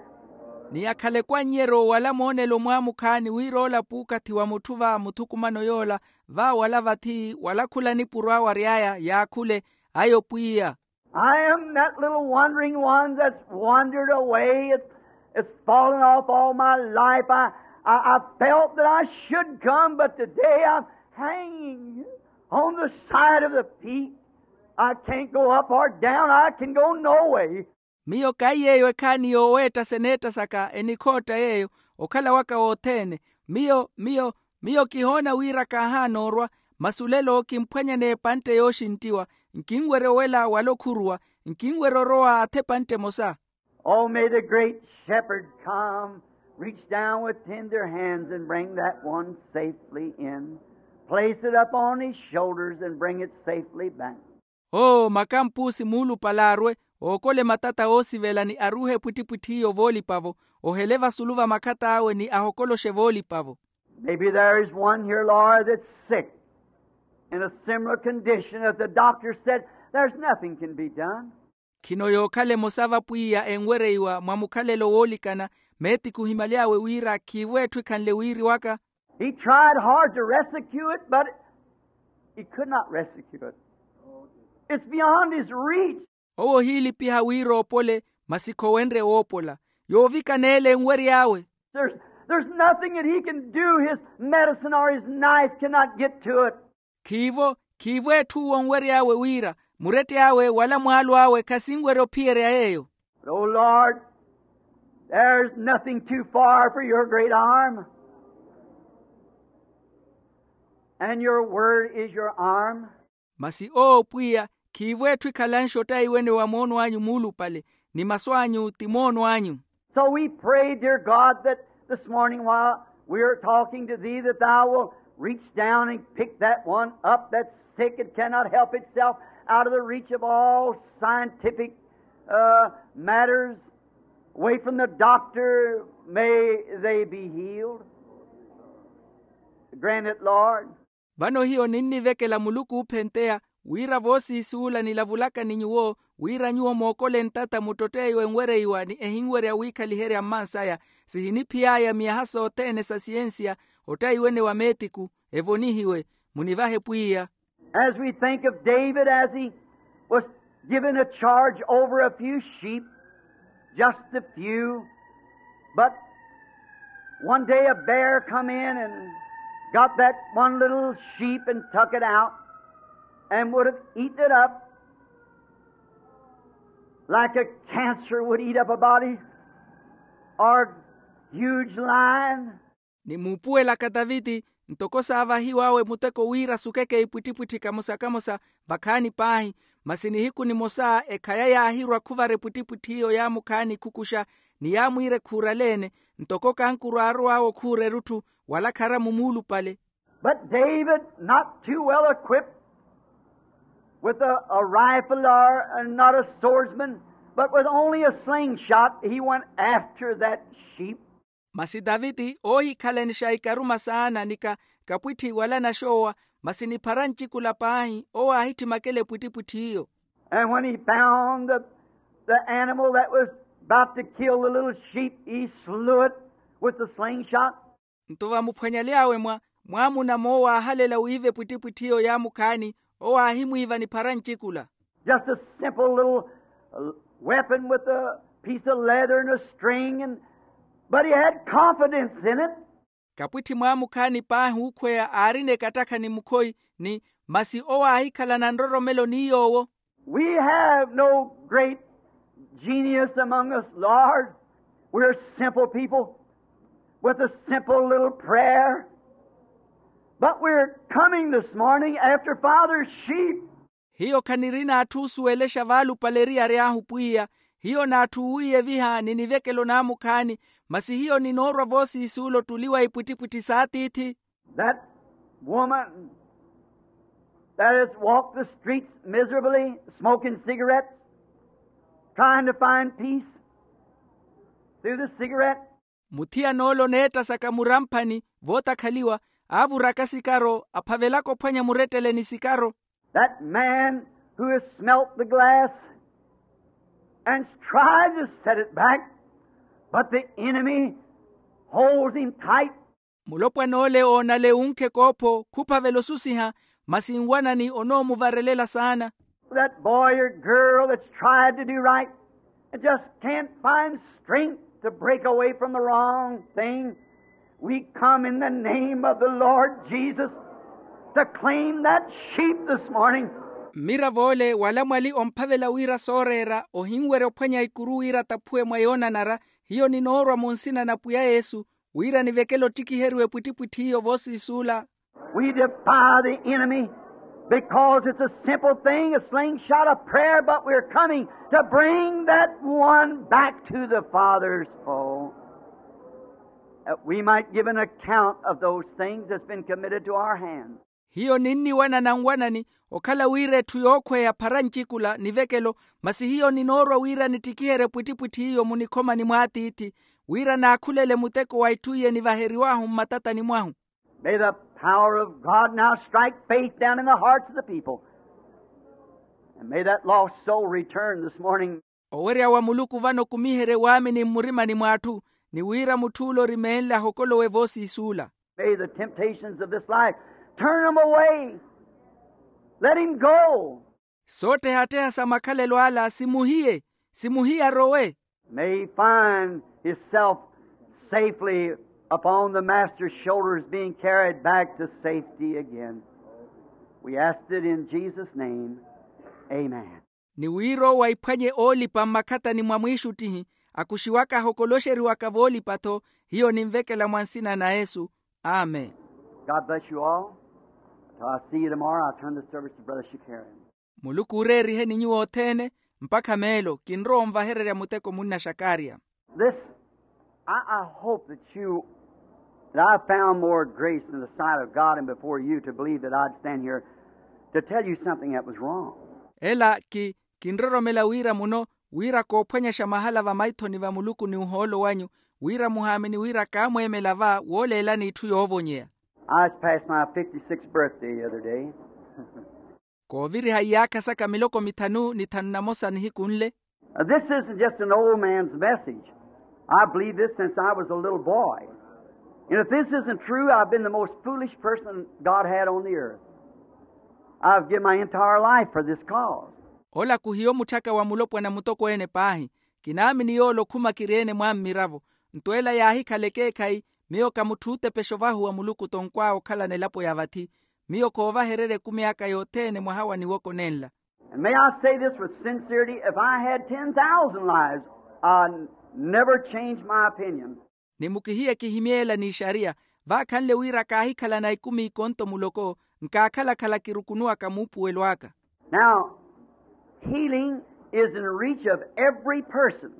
Ni akhaleke annyeryo wala moonelo mwaamukhaani wira ola puukathi wa mutthu va muthukumano yoola, va wala vathi wala khula nipuro awe ary'aya yaakhule, ayo pwiya. I am that little wandering one that's wandered away. It's, it's fallen off all my life. I, I, I felt that I should come, but today I'm hanging on the side of the peak. I can't go up or down. I can go no way. Miyo kaiyeeyo ekhaani yooweetta seneetta saka enikhootta yeeyo, okhala waka wothene. Miyo miyo miyo kihoona wira kaahaana orwa, masi olelo kimphwanyane epantte yooxinttiwa. Nkinwerya owela wala okhuruwa. Nkinwerya orowa atha epantte emosa. Oh, may the great shepherd come, reach down with tender hands and bring that one safely in, place it up on his shoulders and bring it safely back. Oo makampuusi muulupale arwe, ookole matata oosivela ni aruuhe epwittipwitthi iyo voolipa-vo, ohele vasulu va makhat'awe ni ahokoloxe voolipa-vo. Maybe there is one here, Lord, that's sick in a similar condition that the doctor said there's nothing can be done. Khino yookhala emosa va pwiya enwereiwa mwa mukhalelo woolikana, meetiku ohimaly'awe wira khiivo etthu ekhanle wiiriwaka. He tried hard to rescue it, but he could not rescue it. It's beyond his reach. Owo ohiilipiha wira oopole, masi khowenrye woopola. Yoovikana ele enwery'awe. There's, there's nothing that he can do. His medicine or his knife cannot get to it. Khiivo khiivo etthu onwery'awe wira, muretty'awe wala mwaalo awe khasinwerya ophiyerya yeeyo. But, oh Lord, there's nothing too far for your great arm, and your word is your arm. Masi oo pwiya, khiivo etthu ekhalanxe ottaiwene wa moono anyu muulupale, ni masu anyu ti moono anyu. So we pray, dear God, that this morning while we are talking to thee, that thou wilt reach down and pick that one up that's sick and cannot help itself, out of the reach of all scientific, uh, matters, away from the doctor, may they be healed. Grant it, Lord. Vano hiyo ninnivekela Muluku oophenteya, wira voosiisuula nilavulaka ni nyuwo, wira nyuwo mookole ntata muttott'eyo enwereiwa ni ehinwerya wiikhaliherya mmansaya, sihiniphiy'aya miyaha sothene sa siyensiya, ottaiwene wa meetiku, evonihiwe. Munivahe pwiya. As we think of David as he was given a charge over a few sheep, just a few, but one day a bear come in and got that one little sheep and took it out and would have eaten it up. Like a cancer would eat up a body, or huge lion. Ni muupuwelaka taviti ntoko saavahiw'awe muteko wira sukeke ipwittipwitthi kamosa-kamosa vakhaani paahi. Masi nihiku nimosa ekhaya yaahirwa khuvara epwittipwitthi iyo yaamukhaani ikhukuxa ni yaamwiira ekhuuraleene, ntoko kankuru aarow'awe okhuura erutthu wala kharamu muulupale. But David, not too well equipped with a, a rifle, or, and not a swordsman, but with only a slingshot, he went after that sheep. Masi taviti oohikhalanixa ikaruma saana ni ka kapwitthi wala naxoowa, masi ni phara ncikula paahi owo aahittimakela epwittipwitthi iyo. And when he found the, the animal that was about to kill the little sheep, he slew it with the slingshot. Nto vamuphwanyaly'awe mwa mwaamuna moowo aahalela wiiva epwittipwitthi iyo yaamukhaani, owo aahimwiiva ni phara ncikula. Just a simple little, uh, weapon with a piece of leather and a string, and, but he had confidence in it. Kapwitthi mwaamukhaani paahi ookhweya aarina ekattakha ni mukhoyi, ni masi owo aahikhalana nroromelo ni yoowo. We have no great genius among us, Lord. We're simple people with a simple little prayer. But we're coming this morning after Father's sheep. Hiyo khanirina atthu oosuwelexa vaalupale eriyari ahu pwiya. Hiyo n'atthu oowiyeviha ni nivekelo naamukhaani, masi hiyo ninoorwa voosiisuula ottuliwa ipwittipwitthi s'atiithi. That woman that has walked the streets miserably, smoking cigarettes, trying to find peace through the cigarette. Muthiyana ole oneettasaka muramphani vootakhaliwa, aavuraka sikaro aphavelaka ophwanya murettele ni sikaro. That man who has smelt the glass and tried to set it back, but the enemy holds him tight. Mulopwana ole oonale uunkhe koopho khuphavela osusiha, masi nwanani onoomuvarelela saana. That boy or girl that's tried to do right and just can't find strength to break away from the wrong thing, we come in the name of the Lord Jesus to claim that sheep this morning. Mmiravo ole wala mwali omphavela wira sooreera ohinwerya ophwanya ikuru wira ataphuwe mwa yoonanara, hiyo ninoorwa mu nsina na pwiya yesu, wira nivekele ottikiheriwa epwittipwitthi iyo voosiisuula. We defy the enemy because it's a simple thing, a slingshot, a prayer, but we're coming to bring that one back to the Father's fold, that we might give an account of those things that's been committed to our hands. Hiyo ninniwanana nwanani okhala wira etthu yookhweya phara ncikula nivekelo, masi hiyo ninoorwa wira nittikiherye epwittipwitthi iyo munikhomani mw'atiithi, wira naakhulele muteko wa itthu iye nivaheriw'ahu mmatatani mwahu. May the power of God now strike faith down in the hearts of the people. And may that lost soul return this morning. Owerya wa muluku vano okumiherye waamini mmurimani mw'atthu, ni wira mutth'ule orimeenle ahokolowe voosiisuula. May the temptations of this life turn him away. Let him go. Soottehatteha sa makhalelo ala simuhiye, simuhiye arowe. May he find himself safely upon the Master's shoulders, being carried back to safety again. We ask it in Jesus' name. Amen. Ni wira owo aiphwanye oolipa mmakhatani mwa mwiixuttihi, akuxiwaka ahokoloxeriwaka voolipa-tho. Hiyo ninvekela mwa nsina na yesu. Amen. God bless you all. Till I see you tomorrow, I'll turn the service to Brother Shakarian. Muluku ooreeriheni nyuwo othene. Mpakha meelo kinrowa onvahererya muteko munna xakariya. This, I, I hope that you, that I found more grace in the sight of God and before you to believe that I'd stand here to tell you something that was wrong. Ela ki kinroromela wira muno, wira koophwanyaxa mahala vamaithoni va muluku ni ohoolo wanyu, wira muhaamini wira kaamweemela va wooleelani itthu yoovonyeya. I was past my fifty-sixth birthday the other day. Kooviriha iyaakha saka miloko mithanu ni thanu na mosa nihiku nle. This isn't just an old man's message. I believe this since I was a little boy. And if this isn't true, I've been the most foolish person God had on the earth. I've given my entire life for this cause. Ola khuhiyo mutthaka wa mulopwana mutokweene paahi. Kinaamini yoola okhuma kiri-ene mwa mmiravo. Nto ela yaahikhala ekeekhayi, miyo ka mutthu ootepexa ovahuwa muluku tonkw'awe okhalana elapo ya vathi. Miyo khoovahererya ekumi aka yothene mwaha wa niwoko nenla. And may I say this with sincerity, if I had ten thousand lives, I'd never change my opinion. Ni mukihiye kihimye ela n'ixariya, vaakhanle wira kaahikhalana ikumi ikonto muloko, nkaakhala-khala kirukunuwaka muupuwelo aka. Now, healing is in reach of every person.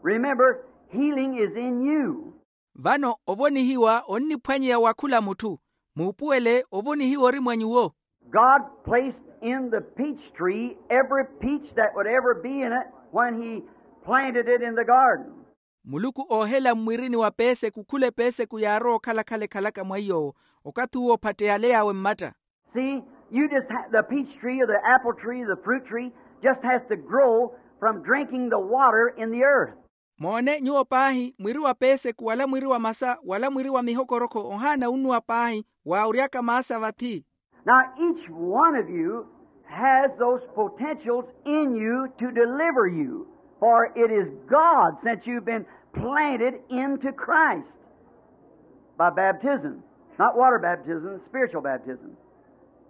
Remember, healing is in you. Vano ovonihiwa onniphwanyeya wa khula mutthu. Muupuwele, ovonihiwa ori mwa nyuwo. God placed in the peach tree every peach that would ever be in it when he planted it in the garden. Muluku oohela mmwirini wa peeseku khula epeeseku yaarowa okhala-khala ekhalaka mwa iy'owo, okathi uwo ophatteyale yaawe mmatta. See, you just ha- the peach tree or the apple tree, the fruit tree, just has to grow from drinking the water in the earth. Moone nyuwo paahi, mwiri wa peeseku wala mwiri wa masa wala mwiri wa mihokorokho ohaana unnuwa paahi, waawuryaka maasa vathi. Now, each one of you has those potentials in you to deliver you, for it is God, since you've been planted into Christ by baptism. Not water baptism, spiritual baptism.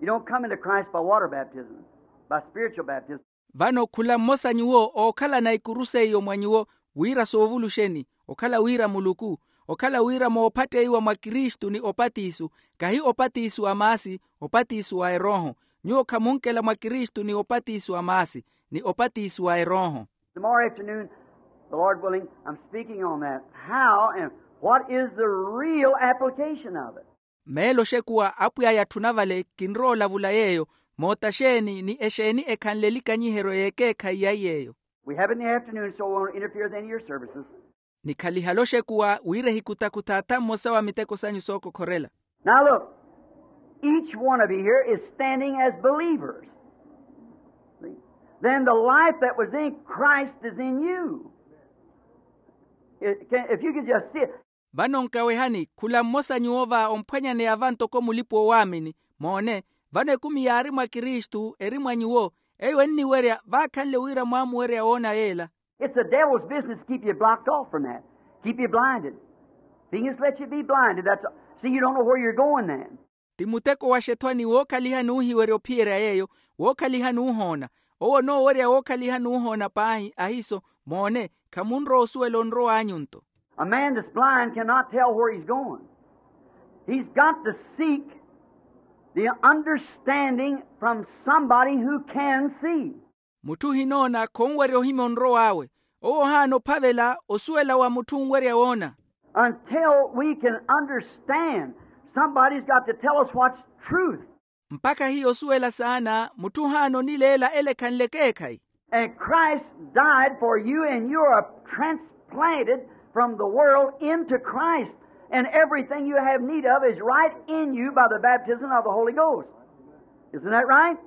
You don't come into Christ by water baptism, by spiritual baptism. Vano khula mmosa nyuwo ookhalana ikuru seiyo mwa nyuwo, wira soovuluxeni, okhala wira muluku, okhala wira moophatteiwa mwa kristu ni opatisu, kahi opatisu a maasi, opatisu a erooho. Nyuwo khamunkela mwa kristu ni opatisu a maasi, ni opatisu a erooho. Tomorrow afternoon, the Lord willing, I'm speaking on that. How and what is the real application of it? Meelo oxekuwa apwiya yatthuna vale kinrowa olavula yeeyo, moota xeeni ni exeeni ekhanle elikanyiheryo y'ekeekhayi ya iy'eyo. We have it in the afternoon, so we won't interfere with any of your services. Nikhalihale oxekuwa wira ehikutakutha atha mmosa wa miteko sanyu sookokhorela. Now look, each one of you here is standing as believers. See? Then the life that was in Christ is in you. It can, if you can just see it. Vano nkawehani, khula mmosa nyuwo va omphwanyaneya va ntoko mulipa-owaamini. Moone, vano ekumi yaari mwa kristu eri mwa nyuwo, eyo enniwerya vaakhanle wira mwaamuwerya woona yeela. It's the devil's business to keep you blocked off from that, keep you blinded. He can just let you be blinded. That's, see, you don't know where you're going then. Ti muteko wa xethwani wookhalihani oohiwerya ophiyerya yeeyo, wookhalihani oohoona. Owo onoowerya wookhalihani oohoona paahi ahiiso. Moone, khamunrowa osuwela onrow'anyu nto. A man that's blind cannot tell where he's going. He's got to seek the understanding from somebody who can see. Mutthu ohinoona khonwerya ohimya onrow'awe. Owo ohaana ophavela osuwela wa mutthu onwerya woona. Until we can understand, somebody's got to tell us what's truth. Mpakha hiyo osuwela saana, mutthu ohaana onileela ela ekhanle ekeekhayi. And Christ died for you, and you are transplanted from the world into Christ. And everything you have need of is right in you by the baptism of the Holy Ghost. Isn't that right?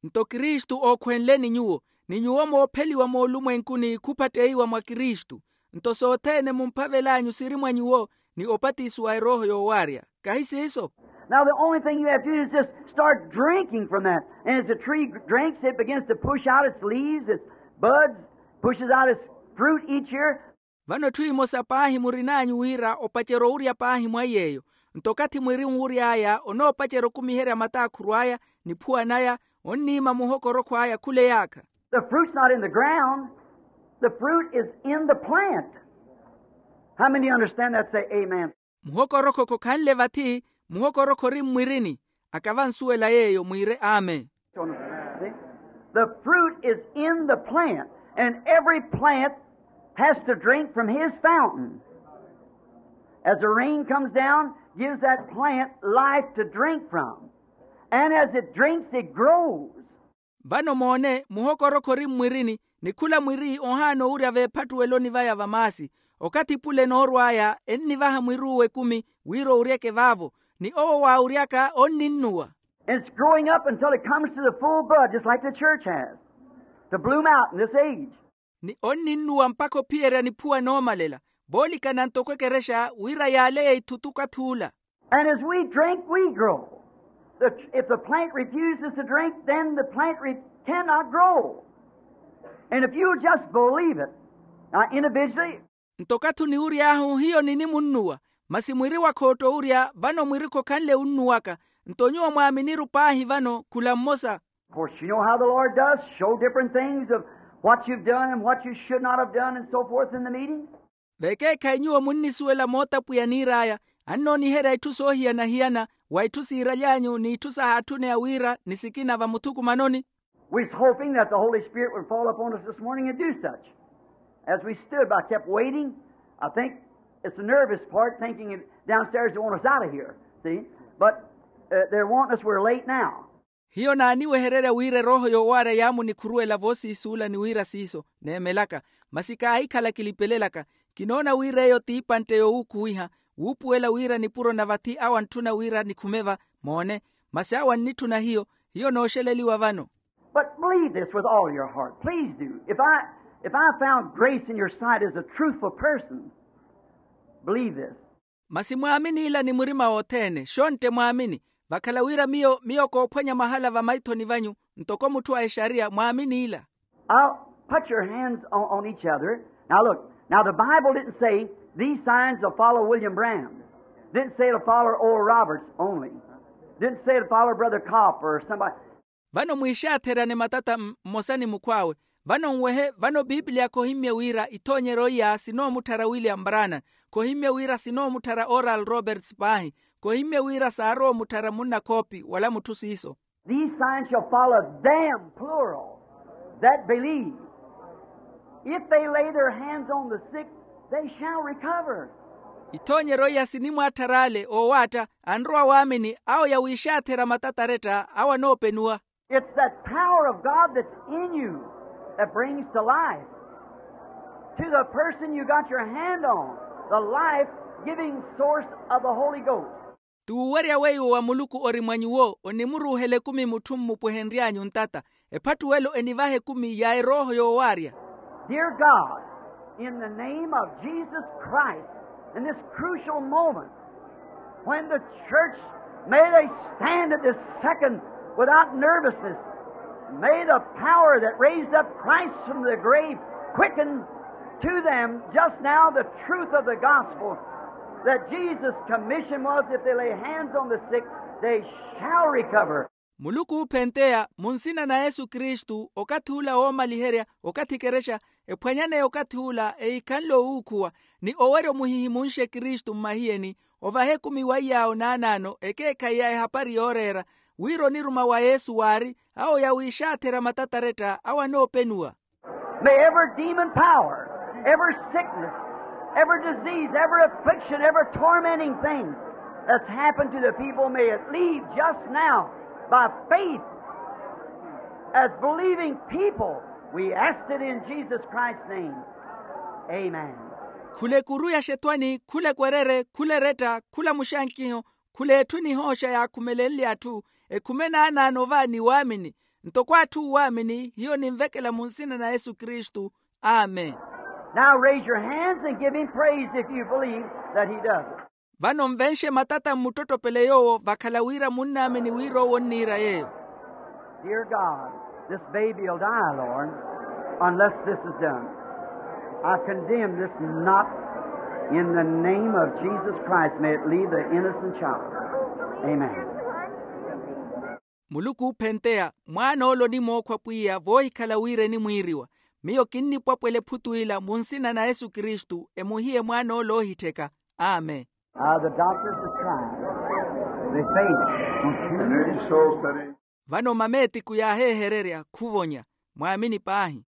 Nto kristu ookhwenleni nyuwo, ni nyuwo moopheliwa moolumwenkuni khuphatteiwa mwa kristu. Nto sothene mumphavel'anyu siri mwa nyuwo, ni opatiso wa erooho yoowarya. Kahi siiso? Now the only thing you have to do is just start drinking from that. And as the tree drinks, it begins to push out its leaves, its buds, pushes out its fruit each year. Vano etthu emosa paahi murin'anyu wira opacerya owurya paahi mwa iy'eyo. Nto okathi mwiri onwury'aya onoopacerya okumiherya mataakhuru aya, niphuwa naya, onniima muhokorokho aya khula eyaakha. The fruit's not in the ground. The fruit is in the plant. How many understand that? Say amen. Muhokorokho khokhanle vathi, muhokorokho ori mmwirini. Aka vansuwela yeeyo mwiire amen. See? The fruit is in the plant, and every plant has to drink from his fountain. As the rain comes down, gives that plant life to drink from. And as it drinks, it grows. Vano moone, muhokorokho ori mmwirini, ni khula mwiri ohaana owurya veephattuweloni vaya va maasi. Okathi pule noorw'aya ennivaha mwiri uwo ekumi wira owuryeke vaavo, ni owo waawuryaka onninnuwa. And it's growing up until it comes to the full bud, just like the church has, to bloom out in this age. Ni onninnuwa mpakha ophiyerya niphuwa noomalela, voolikana ntoko ekerexa wira yaaleye ithutuku ath'ula. And as we drink, we grow. The, if the plant refuses to drink, then the plant re- cannot grow. And if you'll just believe it, now individually, Nto okathi oniwury'ahu hiyo ninimunnuwa, masi mwiri wakhootta owurya vano mwiri khokhanle unnuwaka. Nto nyuwo mwaaminiru paahi vano khula mmosa. Of course, you know how the Lord does show different things of what you've done and what you should not have done and so forth in the meeting. Vekeekhayi nyuwo munnisuwela moota pwiya niir'aya, annooniherya itthu soohiyana-hiyana, wa itthu siiraly'anyu n'itthu sahaatthune ya wira ni sikina vamuthukumanoni. We're hoping that the Holy Spirit would fall upon us this morning and do such. As we stood by, kept waiting. I think it's the nervous part, thinking downstairs they want us out of here. See? But uh, they're wanting us, we're late now. Hiyo naaniwehererya wira erooho yoowaarya yaamunikhuruwela voosiisuula ni wira siiso neemelaka. Masi kaahikhala kilipelelaka. Kinoona wira eyo t'ipantte yowuukhuwiha, wuupuwela wira nipuro na vathi awo antthuna wira nikhume va. Moone. Masi awo annitthuna hiyo. Hiyo nooxeleliwa vano. But believe this with all your heart. Please do. If I, if I found grace in your sight as a truthful person, believe this. Masi mwaamini ila ni murima wothene xontte mwaamini. Vakhala wira miyo miyo koophwanya mahala vamaithoni vanyu, ntoko mutthu a exariya mwaamini ila. I'll put your hands on, on each other. Now look, now the Bible didn't say these signs will follow William Branham. Didn't say it'll follow Oral Roberts only. Didn't say it'll follow Brother Kopp or somebody. Vano mwiixaatherane matata mmosa ni mukhw'awe. Vano nwehe vano piipiliya khohimmye wira ithoonyeryo iya sinoomutthara william brana. Khohimmye wira sinoomutthara oral roberts paahi. Khohimmye wira saarowa omutthara munna khoopi wala mutthu siiso. These signs shall follow them plural that believe. If they lay their hands on the sick, they shall recover. Ithoonyeryo iya sinimwatthara ale oowaatta anrowa waamini awo yawiixaathera matataretta awo anoopenuwa. It's that power of God that's in you that brings to life, to the person you got your hand on, the life-giving source of the Holy Ghost. T'uwerya weiwo wa muluku ori mwa nyuwo onimuruuhela ekumi mutthu mmupwehenry'anyu ntata. Ephattuwelo enivaha ekumi ya erooho yoowaarya. Dear God, in the name of Jesus Christ, in this crucial moment, when the church, may they stand at this second without nervousness. May the power that raised up Christ from the grave quicken to them just now the truth of the gospel, that Jesus' commission was, if they lay hands on the sick, they shall recover. Muluku oophenteya mu nsina na yesu kristu okathi ula woomaliherya okathi ekerexa ephwanyaneya okathi ula eikhanle owuukhuwa ni owerya omuhihimunxe kristu mmahiyeni. Ovaha ekumi wa iyaawo naanaano ekeekhayi ya ehapari yooreera wira oniruma wa yesu waari awo yawiixaatherya matataretta awo anoopenuwa. May every demon power, every sickness, every disease, every affliction, every tormenting thing that's happened to the people, may it leave just now by faith. As believing people, we ask it in Jesus Christ's name. Amen. Khula ekuru ya xethwani khula ekwerere khula eretta khula muxankiho khula etthu enihooxa yaakhumelenle atthu ekhume naanaano va ni waamini. Ntoko atthu oowaamini hiyo ninvekela mu nsina na yesu kristu. Amen. Now raise your hands and give him praise if you believe that he does it. Vano nvenxe matata mmuttottopele yoowo vakhala wira munnaamini wira owo onniira yeeyo. Dear God, this baby will die, Lord, unless this is done. I condemn this not in the name of Jesus Christ. May it leave the innocent child. Amen. Muluku oophenteya mwaana ole onimookhwa pwiya voohikhala wira enimwiiriwa. Miyo kinnipwapwela ephutu ila mu nsina na yesu kristu emuhiye mwaana ole oohittheka. Amen. Ah, the doctors have tried. They faint. Vano mameetiku yaaheehererya khuvonya. Mwaamini paahi.